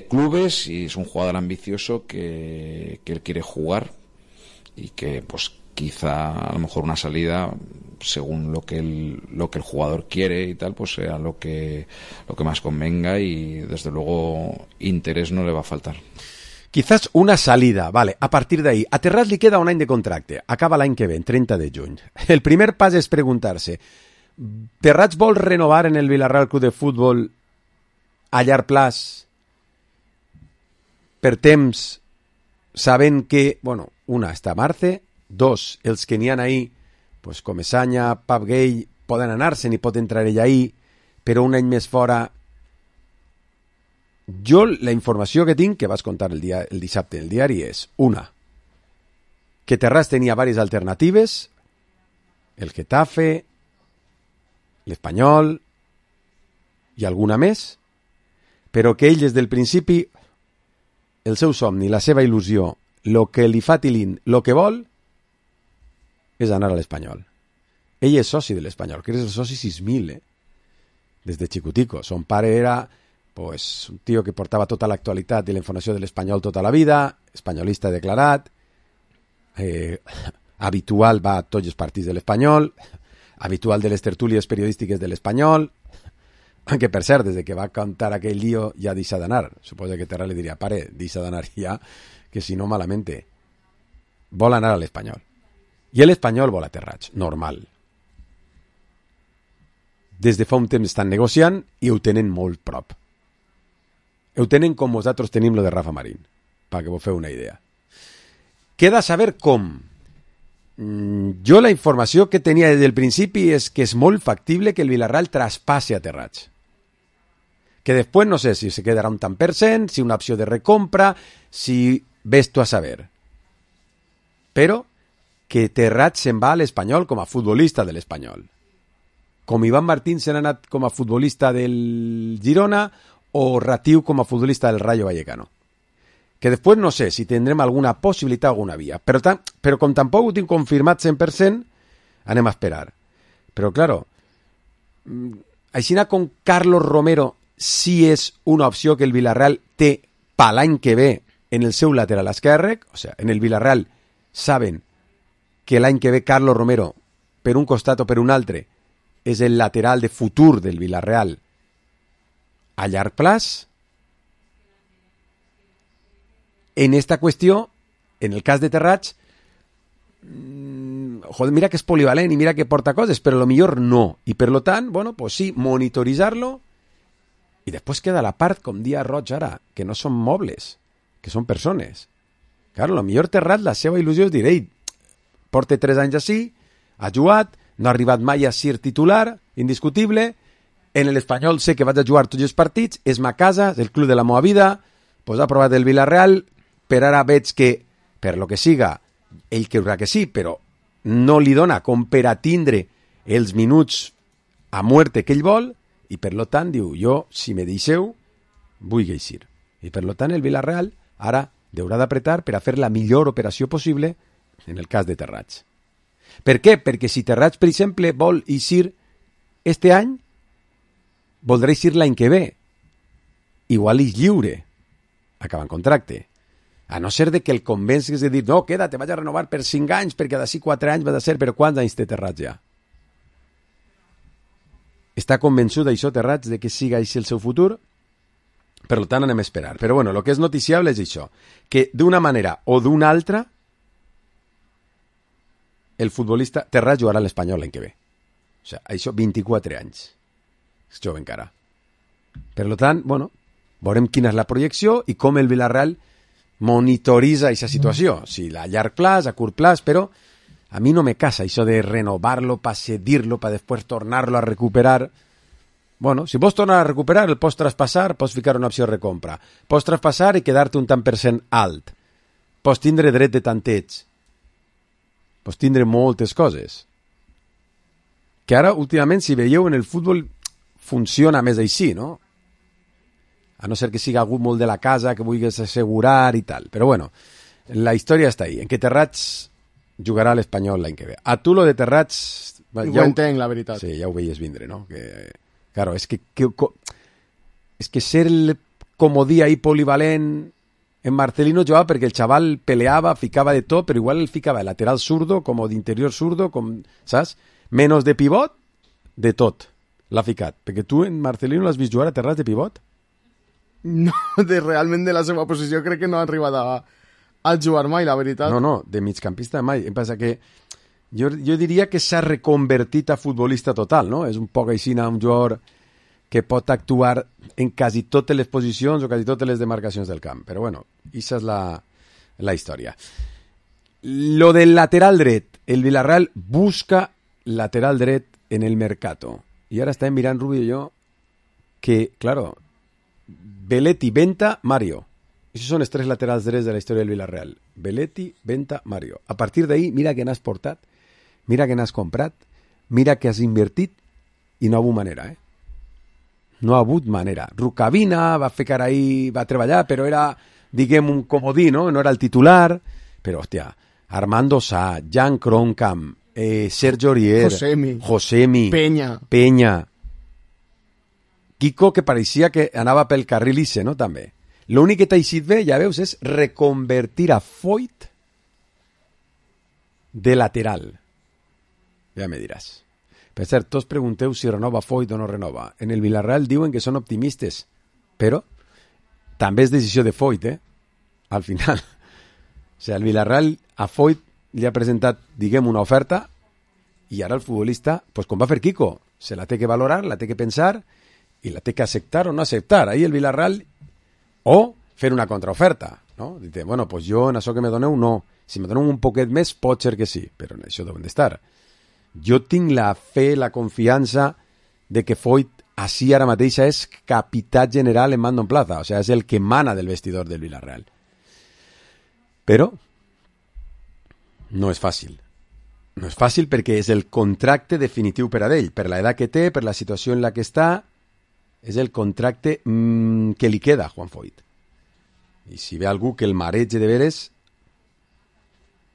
clubes y es un jugador ambicioso que él quiere jugar y que pues quizá a lo mejor una salida según lo que el jugador quiere y tal, pues sea lo que más convenga, y desde luego interés no le va a faltar. Quizás una salida, vale, a partir d'ahí. A Terrats li queda un any de contracte, acaba l'any que ve, 30 de juny. El primer pas és preguntar-se, Terrats vol renovar en el Villarreal Club de Futbol a llarg plaç per temps, sabent que, bueno, una, està Marce, dos, els que n'hi ha ahí, pues Comesaña, Pap Gay, poden anar-se'n i pot entrar ell ahí, però un any més fora. Jo la informació que tinc, que vas contar el dissabte en el diari, és una, que Terrats tenia diverses alternatives, el Getafe, l'Espanyol i alguna més, però que ell des del principi, el seu somni, la seva il·lusió, el que li fa tilín, el que vol, és anar a l'Espanyol. Ell és soci de l'Espanyol, que és el soci 6.000, des de xicutico. Son pare era pues, un tio que portava tota l'actualitat i la informació de l'Espanyol tota la vida, espanyolista declarat, habitual va a tots els partits de l'Espanyol, habitual de les tertúlies periodístiques de l'Espanyol, que per cert, des que va contar aquell lío ja deixa d'anar. Suposo que Terra li diria, pare, deixa d'anar ja, que si no malamente. Vol anar a l'Espanyol. I l'Espanyol vol a Terrats, normal. Des de fa un temps estan negociant i ho tenen molt prop. Ho tenen com vosaltres tenim lo de Rafa Marín, perquè vos feu una idea. Queda saber com. Jo la informació que tenia des del principi és que és molt factible que el Villarreal traspassi a Terrats. Que després no sé si se quedarà un tant per cent, si una opció de recompra, si ves tu a saber. Però que Terrats se'n va a l'Espanyol com a futbolista de l'Espanyol. Com Iván Martín se n'ha anat com a futbolista del Girona o Ratiu com a futbolista del Rayo Vallecano. Que després no sé si tindrem alguna possibilitat o alguna via. Però com tampoc ho tinc confirmat 100%, anem a esperar. Però, claro, així com Carlos Romero sí és una opció que el Villarreal té per l'any que ve en el seu lateral esquerre, o sigui, en el Villarreal saben que l'any que ve Carlos Romero, per un costat o per un altre, és el lateral de futur del Villarreal a llarg plaç. En esta qüestió, en el cas de Terrats, joder, mira que és polivalent i mira que porta coses, però a lo millor no. I per lo tant, bueno, pues sí, monitoritzar-lo i després queda la part, com dia Roig ara, que no són mobles, que són persones. Claro, a lo millor Terrats, la seva il·lusió és dir, ei, porta 3 anys així, ha jugat, no ha arribat mai a ser titular, indiscutible, en l'Espanyol sé que vaig a jugar tots els partits, és ma casa, és el club de la meva vida, pues ha provat el Villarreal, per ara veig que, per lo que siga, ell creurà que sí, però no li dona com per a tindre els minuts a muerte que ell vol, i per lo tant diu, jo, si me deixeu, vull eixir. I per lo tant el Villarreal ara haurà d'apretar per a fer la millor operació possible en el cas de Terrats. Per què? Perquè si Terrats, per exemple, vol eixir este any, voldrà eixir l'any que ve. Igual és lliure, acabant contracte. A no ser de que el convencis de dir, no, queda't, vaig a renovar per 5 anys, perquè d'ací 4 anys va de ser, però quants anys té Terrats ja? Està convençut d'això Terrats, de que siga així el seu futur? Per tant, anem a esperar. Però bueno, el que és noticiable és això, que d'una manera o d'una altra, el futbolista Terrats jugarà a l'Espanyol l'any que ve. O sigui, això, 24 anys. És jove encara. Per tant, bueno, veurem quina és la projecció i com el Villarreal monitoritza aquesta situació. Si a llarg plaç, a curt plaç, però a mi no me casa això de renovar-lo, per cedir-lo, per després tornar-lo a recuperar. Bueno, si vols tornar a recuperar, el pots traspassar, pots ficar una opció de recompra. Pots traspassar i quedar-te un tant per cent alt. Pots tindre dret de tanteig. Pots tindre moltes coses. Que ara, últimament, si veieu en el futbol, funciona més així, no? A no ser que siga algú molt de la casa que vulguis assegurar i tal. Però bueno, la història està ahí, en que Terrats jugarà a l'Espanyol l'any que ve. A tu lo de Terrats... Ja ho entenc, la veritat. Sí, ja ho veies vindre, no? Que, claro, és que ser el comodí ahí polivalent en Marcelino jugava perquè el xaval peleava, ficava de tot, però igual el ficava de lateral zurdo, com d'interior zurdo, com, saps? Menos de pivot, de tot. L'ha ficat. Perquè tu en Marcelino l'has vist jugar a Terrats de pivot? No, realment de la seva posició crec que no ha arribat a jugar mai, la veritat. No, de migcampista mai. Em passa que jo diria que s'ha reconvertit a futbolista total, no? És un poc així un jugador que pot actuar en quasi totes les posicions o quasi totes les demarcacions del camp. Però bueno, aquesta és la història. Lo del lateral dret. El Villarreal busca lateral dret en el mercato. I ara estem mirant, Rubio i jo, que, claro, Belletti, Venta, Mario. Esos són els 3 laterals drets de la història del Villarreal. Belletti, Venta, Mario. A partir d'ahí, mira que n'has portat, mira que n'has comprat, mira que has invertit i no ha hagut manera, eh? No ha hagut manera. Rukavina va fer cara ahí, va treballar, però era, diguem, un comodí, no? No era el titular. Però, hòstia, Armando Sá, Jan Kroenkamp, Sergio Aurier, Josemi, Peña. Quico, que pareixia que anava pel carril isse, no?, també. L'únic que t'ha eixit bé, ja veus, és reconvertir a Foyt de lateral. Ja me diràs. Per cert, tots pregunteu si renova Foyt o no renova. En el Villarreal diuen que són optimistes, però també és decisió de Foyt, al final. O sigui, el Villarreal a Foyt li ha presentat, diguem, una oferta i ara el futbolista, pues com va fer Quico, se la té que valorar, la té que pensar i la té que acceptar o no acceptar. Ahí el Villarreal, o fer una contraoferta, no? Dite, bueno, pues jo en això que me doneu no. Si me doneu un poquet més, pot ser que sí, però en això deuen d'estar. Jo tinc la fe, la confiança de que Foyt així ara mateixa és capità general en mando en plaza, o sigui, és el que mana del vestidor del Villarreal. Però no és fàcil. No és fàcil perquè és el contracte definitiu per a ell, per l'edat que té, per la situació en la que està, és el contracte que li queda a Juan Foyt. I si ve algú que el marege de veres,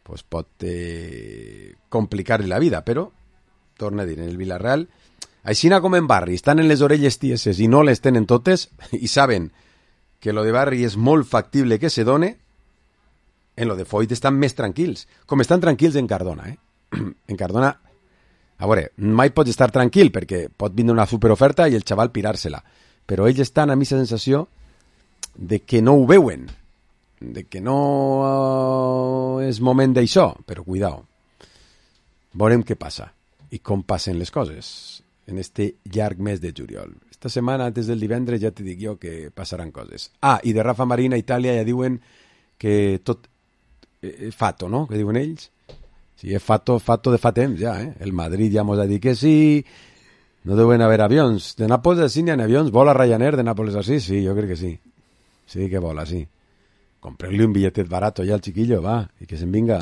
pues pot complicar-li la vida, però, torna a dir, en el Villarreal, aixina com en Barri, estan en les orelles tieses i no les tenen totes, i saben que lo de Barri és molt factible que se done, en lo de Foyt estan més tranquils, com estan tranquils en Cardona, En Cardona, a veure, mai pots estar tranquil perquè pot vindre una superoferta i el xaval pirar-se-la, però ells estan amb aquesta sensació de que no ho veuen, de que no és moment d'això, però cuidao. Veurem què passa i com passen les coses en este llarg mes de juliol. Esta setmana, antes del divendres, ja te dic jo que passaran coses. Ah, i de Rafa Marín a Itàlia ja diuen que tot fato, no?, que diuen ells. Sí, és fato de fa temps ja, El Madrid ja mos ha dit que sí, no deuen haver avions. De Nàpols sí n'hi ha avions, vola Ryanair de Nàpols así, sí, jo crec que sí. Sí que vola, sí. Comprarle un billetet barato ya al chiquillo, va, y que se venga.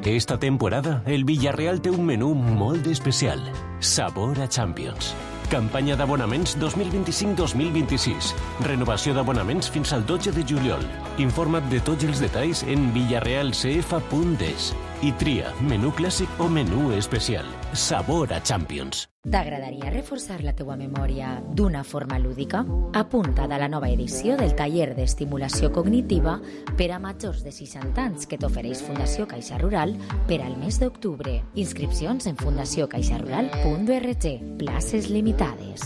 Esta temporada, el Villarreal té un menú molt especial. Sabor a Champions. Campanya d'abonaments 2025-2026. Renovació d'abonaments fins al 12 de juliol. Informa't de tots els detalls en villarrealcf.es. I tria menú clàssic o menú especial. Sabor a Champions. T'agradaria reforçar la teua memòria d'una forma lúdica? Apunta't a la nova edició del taller d'estimulació cognitiva per a majors de 60 anys que t'ofereix Fundació Caixa Rural per al mes d'octubre. Inscripcions en fundaciocaixarural.org. Places limitades.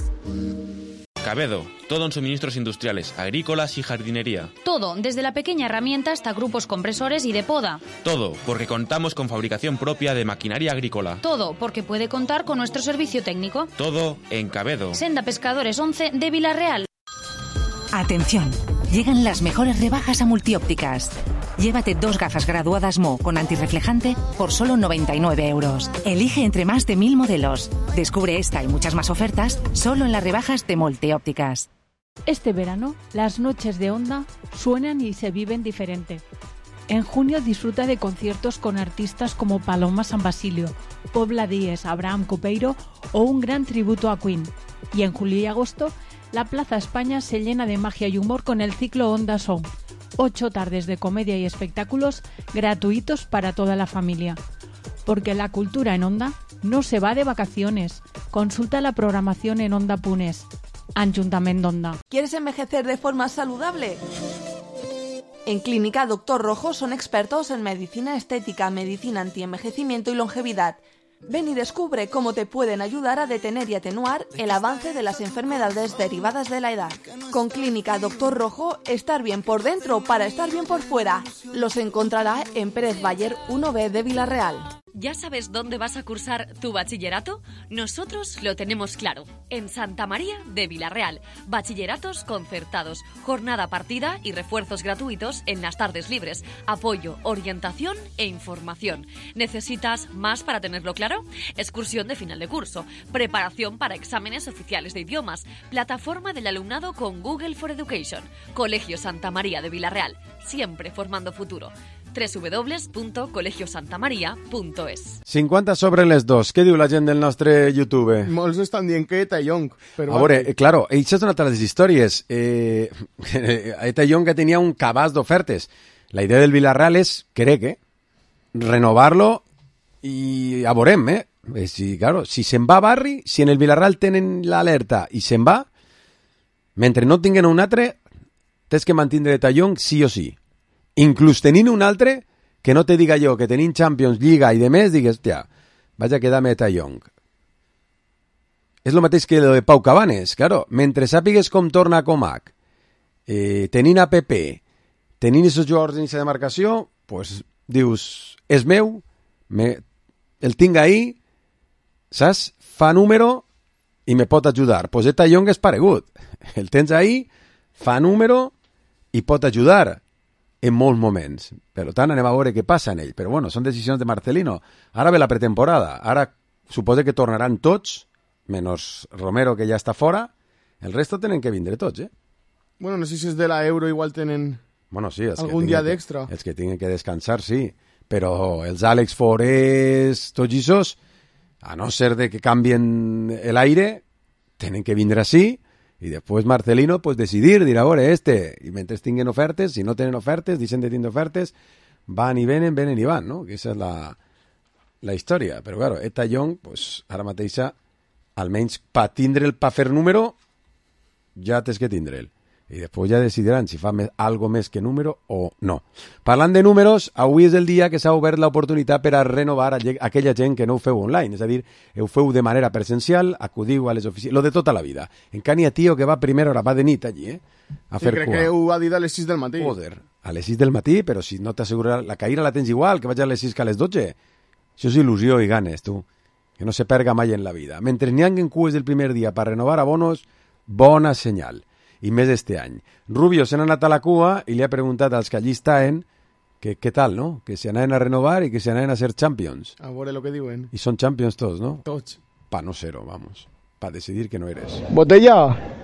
Cabedo, todo en suministros industriales, agrícolas y jardinería. Todo, desde la pequeña herramienta hasta grupos compresores y de poda. Todo, porque contamos con fabricación propia de maquinaria agrícola. Todo, porque puede contar con nuestro servicio técnico. Todo en Cabedo. Senda Pescadores 11 de Villarreal. Atención, llegan las mejores rebajas a Multiópticas. Llévate 2 gafas graduadas Mo con antirreflejante por solo 99 €. Elige entre más de 1000 modelos. Descubre esta y muchas más ofertas solo en las rebajas de Multiópticas. Este verano, las noches de Onda suenan y se viven diferente. En junio disfruta de conciertos con artistas como Paloma San Basilio, Pobla Díez, Abraham Copeiro o un gran tributo a Queen. Y en julio y agosto, la Plaza España se llena de magia y humor con el ciclo Onda Song. 8 tardes de comedia y espectáculos gratuitos para toda la familia. Porque la cultura en Onda no se va de vacaciones. Consulta la programación en Onda.es. Ayuntamiento d'Onda. ¿Quieres envejecer de forma saludable? En Clínica Doctor Rojo son expertos en medicina estética, medicina antienvejecimiento y longevidad. Ven y descubre cómo te pueden ayudar a detener y atenuar el avance de las enfermedades derivadas de la edad. Con Clínica Doctor Rojo, estar bien por dentro para estar bien por fuera. Los encontrará en Pérez Bayer 1B de Villarreal. ¿Ya sabes dónde vas a cursar tu bachillerato? Nosotros lo tenemos claro. En Santa María de Villarreal. Bachilleratos concertados, jornada partida y refuerzos gratuitos en las tardes libres. Apoyo, orientación e información. ¿Necesitas más para tenerlo claro? Excursión de final de curso. Preparación para exámenes oficiales de idiomas. Plataforma del alumnado con Google for Education. Colegio Santa María de Villarreal. Siempre formando futuro. www.colegiosantamaria.es 50 sobre les 2. Què diu la gent del nostre YouTube? Molts estan dient que Eta Young. Però a veure, claro, això és una de les històries. Eta Young que tenia un cabàs d'ofertes. La idea del Villarreal és, crec, renovar-lo i a veurem, Si, claro, si se'n va a Barri, si en el Villarreal tenen l'alerta i se'n va, Mentre no tinguen un altre, tens que mantindre De Jong sí o sí. Inclús tenint un altre, que no te diga jo que tenim Champions, Lliga i de més, digues, hòstia, vaig a quedar-me De Jong. És el mateix que lo de Pau Cabanes, claro. Mentre sàpigues com torna a Comac, tenint a Pepe, tenint aquests jugadors d'iniciativa de demarcació, pues, dius, és meu, el tinc ahí, saps? Fa número i me pot ajudar. Pues De Jong és paregut. El tens ahí, fa número i pot ajudar en molts moments. Per tant, anem a veure què passa en ell. Però bueno, són decisions de Marcelino. Ara ve la pretemporada. Ara suposa que tornaran tots, menys Romero, que ja està fora. El resto tenen que vindre tots, eh? Bueno, no sé si és de la Euro, igual tenen sí, algun dia d'extra. Els que tinguin que descansar, sí. Però els Àlex Forés, tots aquests, a no ser de que canvien l'aire, tenen que vindre així, i després Marcelino pues, decidir, dir, a veure, i mentre tinguen ofertes, si no tenen ofertes, deixen de tindre ofertes, van i venen i van, no? Que aquesta és la història. Però, claro, De Jong, pues, ara mateixa, almenys per fer número, ja tens que tindre'l. I després ja decidiran si fa algo més que número o no. Parlant de números, avui és el dia que s'ha obert l'oportunitat per a renovar aquella gent que no ho feu online, és a dir, ho feu de manera presencial, acudiu a les oficines, lo de tota la vida. Encara n'hi ha tio que va a primera hora, va de nit allí, a fer crec cua. Que ho ha dit a les 6 del matí. Joder, a les 6 del matí, però si no t'assegura, la caïra la tens igual, que vaig a les 6 que a les 12. Això és il·lusió i ganes, tu, que no se perga mai en la vida. Mentre n'hi haguen cues del primer dia per renovar abonos, bona senyal. I més este any. Rubio se n'ha anat a la cua i li ha preguntat als que allí estaven que què tal, no? Que se anaven a renovar i que se anaven a ser champions. A veure lo que diuen. I són champions tots, no? Tots. Pa no ser-ho, vamos. Pa decidir que no eres. Botella,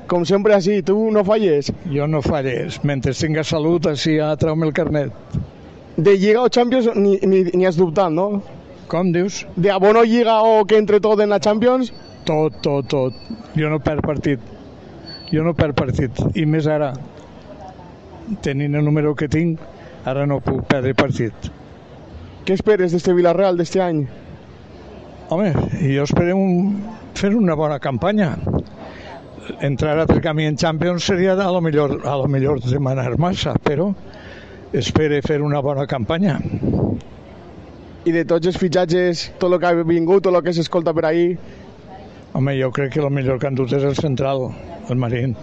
com sempre així, tu no falles. Jo no falles. Mentre tingues salut, així ja treu-me el carnet. De Lliga o Champions ni has dubtat, no? Com dius? De abono Lliga o que entre tot en la Champions? Tot. Jo no perc partit. I més ara, tenint el número que tinc, ara no puc perdre partit. Què esperes d'este Villarreal d'este any? Home, jo espero fer una bona campanya. Entrar a camí en Champions seria a lo millor demanar massa, però espero fer una bona campanya. I de tots els fitxatges, tot el que ha vingut, tot el que s'escolta per ahí? Home, jo crec que el millor que han dut és el central, el Marín.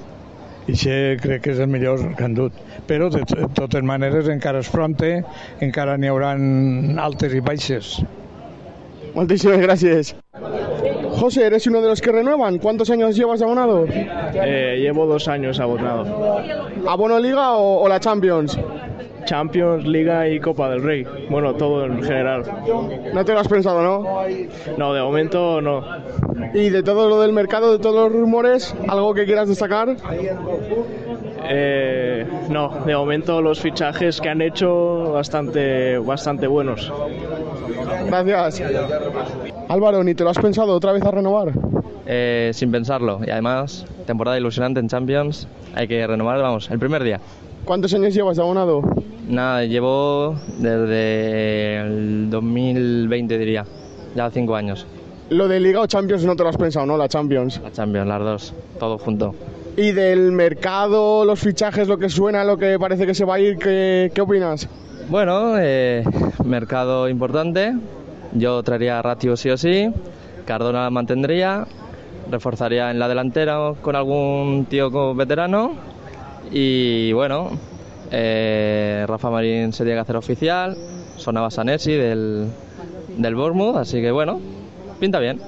I això crec que és el millor que han dut. Però, de totes maneres, encara es fronte, encara n'hi haurà altes i baixes. Muchísimas gracias. José, ¿eres uno de los que renuevan? ¿Cuántos años llevas de abonado? Llevo 2 años abonado. ¿Abono Liga o la Champions? Champions, Liga y Copa del Rey. Bueno, todo en general. ¿No te lo has pensado, no? No, de momento no. ¿Y de todo lo del mercado, de todos los rumores, algo que quieras destacar? No, de momento los fichajes que han hecho bastante buenos. Gracias. Álvaro, ¿ni te lo has pensado otra vez a renovar? Sin pensarlo. Y además, temporada ilusionante en Champions. Hay que renovar, vamos, el primer día. ¿Cuántos años llevas de abonado? Nada, llevo desde el 2020, diría. Ya 5 años. ¿Lo de Liga o Champions no te lo has pensado, no? La Champions. La Champions, las dos. Todo junto. ¿Y del mercado, los fichajes, lo que suena, lo que parece que se va a ir, qué opinas? Bueno, mercado importante. Yo traería a Ratio sí o sí. Cardona mantendría. Reforzaría en la delantera con algún tío veterano. Y bueno, Rafa Marín se tiene que hacer oficial. Sonaba Sanesi del Bournemouth, así que bueno, pinta bien.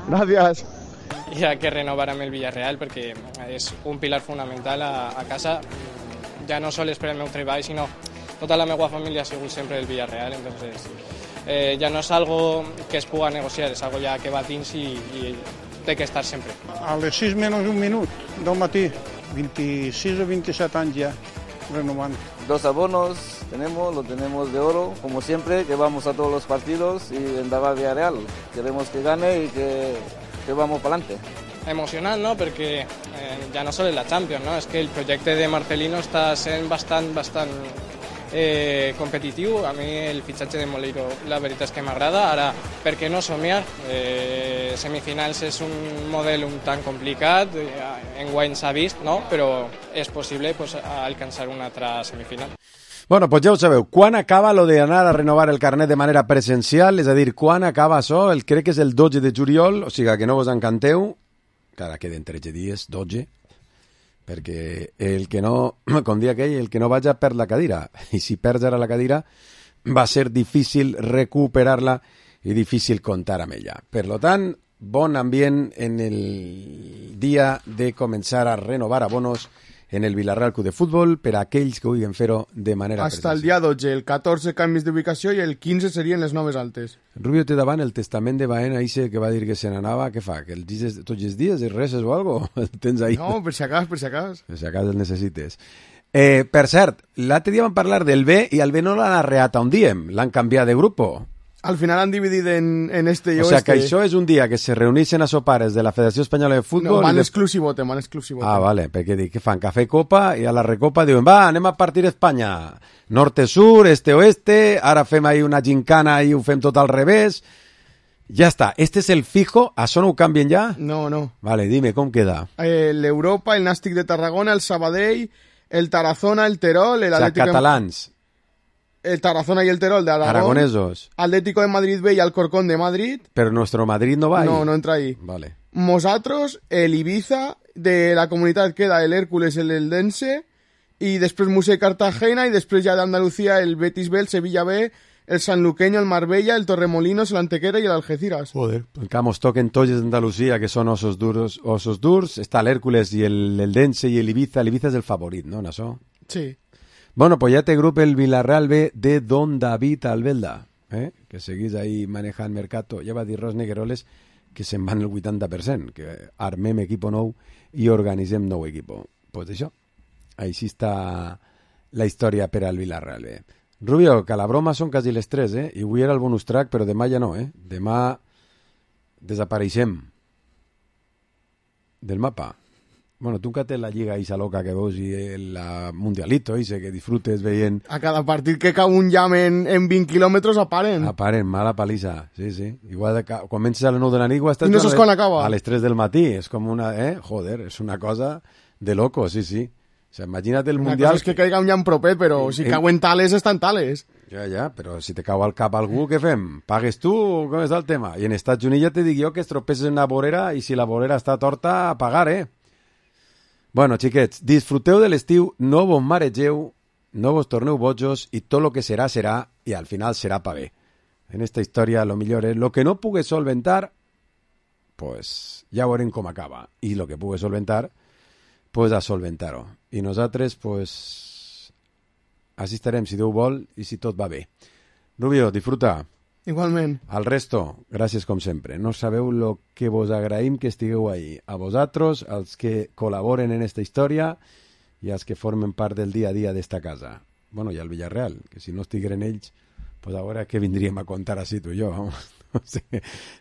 Gracias. Hi ha que renovar amb el Villarreal perquè és un pilar fonamental a casa, ja no sols per el meu treball, sinó tota la meva família ha sigut sempre el Villarreal, entonces ja no és algo que es puga negociar, és algo ja que va dins i té que estar sempre. A les 6 menys un minut del matí, 26 o 27 anys ja, renovant. 2 abonos lo tenemos de oro, como siempre, que vamos a todos los partidos y vendrá a Villarreal. Queremos que gane y que vamos para adelante. Emocionant, no?, perquè ja no sols la Champions, no? És que el projecte de Marcelino està sent bastant competitiu. A mi el fitxatge de Moleiro la veritat és que m'agrada. Ara, per què no somiar? semifinals és un model un tant complicat, enguany s'ha vist, no? Però és possible pues, alcançar una altra semifinal. Bueno, pues ja ho sabeu, quan acaba lo de anar a renovar el carnet de manera presencial, és a dir, quan acaba això, crec que és el 12 de juliol, o sigui que no vos encanteu, que ara queden 13 dies, 12, perquè el que no, com dia aquell, el que no vaja perd la cadira, i si perds ara la cadira va ser difícil recuperar-la i difícil comptar amb ella. Per lo tant, bon ambient en el dia de començar a renovar abonos en el Vilarreal Club de Futbol per a aquells que vulguin fer-ho de manera Hasta el dia 12, el 14 canvis d'ubicació i el 15 serien les noves altes. Rubio té davant el testament de Baena, ese que va dir que se n'anava, què fa? Que el dices tots els dies, el reses o algo? El tens ahí? No, per si acas. Per si acas el necessites. Per cert, l'altre dia vam parlar del B i el B no l'han arreat on diem, l'han canviat de grupo. Al final han dividit en este i oeste. O sea, que això és un dia que se reuneixen a sopares de la Federació Espanyola de Futbol... No, van exclusivote. Ah, vale, perquè dic, què fan? Cafè i copa, i a la recopa diuen, va, anem a partir Espanya. Norte-sur, este-oeste, ara fem ahí una gincana i ho fem tot al revés. Ja està, este és el fijo, això no ho canvien ja? No. Vale, dime, com queda? L'Europa, el Nàstic de Tarragona, el Sabadell, el Tarazona, el Terol... El Atlético... catalans. El Tarazona y el Terol de Aragón. Aragonesos. Atlético de Madrid B y Alcorcón de Madrid. Pero nuestro Madrid no va ahí. No entra ahí. Vale. Nosotros, el Ibiza, de la comunitat queda el Hércules, el Eldense, y després Murcia y Cartagena, y després ya de Andalucía el Betis B, el Sevilla B, el Sanluqueño, el Marbella, el Torremolinos, el Antequera y el Algeciras. Joder. Acá nos toquen todos de Andalucía, que son osos durs. Está el Hércules y el Eldense y el Ibiza. El Ibiza es el favorit, ¿no? ¿No? Sí. Bueno, pues ya te grupo el Villarreal B de Don David Albelda, que seguís ahí manejant mercato. Ja va dir Ros Negueroles que se'n van el 80%, que armem equipo nou i organitzem nou equipo. Pues això, així està la història per al Villarreal B. Rubio, que la broma són quasi les 3, i avui era el bonus track, però demà ja no, Demà desapareixem del mapa. Bueno, tu que tens la lliga Isa loca que veus i el Mundialito, que disfrutes veient... A cada partit que cau un llamp en 20 quilòmetres aparen. Aparen, mala palissa, sí. Igual quan comences a les 9 de la nit... I no saps quan acaba. A les 3 del matí, és com una... Joder, és una cosa de loco, sí. O sea, imagina't el Mundial... Una cosa és que caiga un llamp propet, però si cauen tales, estan tales. Ja, però si te cau al cap algú, què fem? Pagues tu o com és el tema? I en Estats Units ja te dic jo que es tropeces en una vorera i si la vorera està torta, a pagar, Bueno, xiquets, disfruteu de l'estiu, no vos maregeu, no vos torneu bojos i tot lo que serà, serà, i al final serà pa bé. En esta història, lo millor és lo que no pugues solventar, pues ja veurem com acaba. I lo que pugues solventar, pues a solventar-ho. I nosaltres, pues, així estarem, si Déu vol i si tot va bé. Rubio, disfruta. Igualment. Al resto, gràcies com sempre. No sabeu lo que vos agraïm que estigueu ahí. A vosaltres, als que col·laboren en esta història i als que formen part del dia a dia d'esta casa. Bueno, i al Villarreal, que si no estigueren ells, pues ara què vindríem a contar així tu i jo?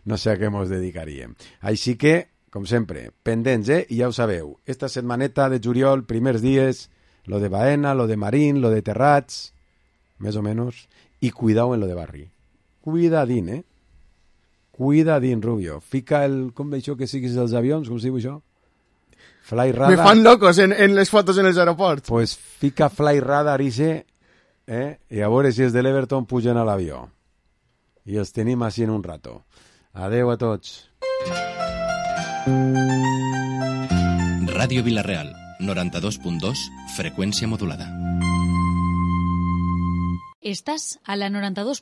No sé a què ens dedicaríem. Així que, com sempre, pendents, i ja ho sabeu. Esta setmaneta de juliol, primers dies, lo de Baena, lo de Marín, lo de Terrats, més o menys, i cuidao en lo de Barri. Cuidadín, Cuidadín, Rubio. Fica el... Com d'això que siguis dels avions? Com es diu això? Fly radar. Me fan locos en les fotos en els aeroports. Pues fica fly radar ixe, i a veure si és de l'Everton pugen a l'avió. I els tenim així en un rato. Adeu a tots. Ràdio Vilareal, 92.2, freqüència modulada. Estás a la 92.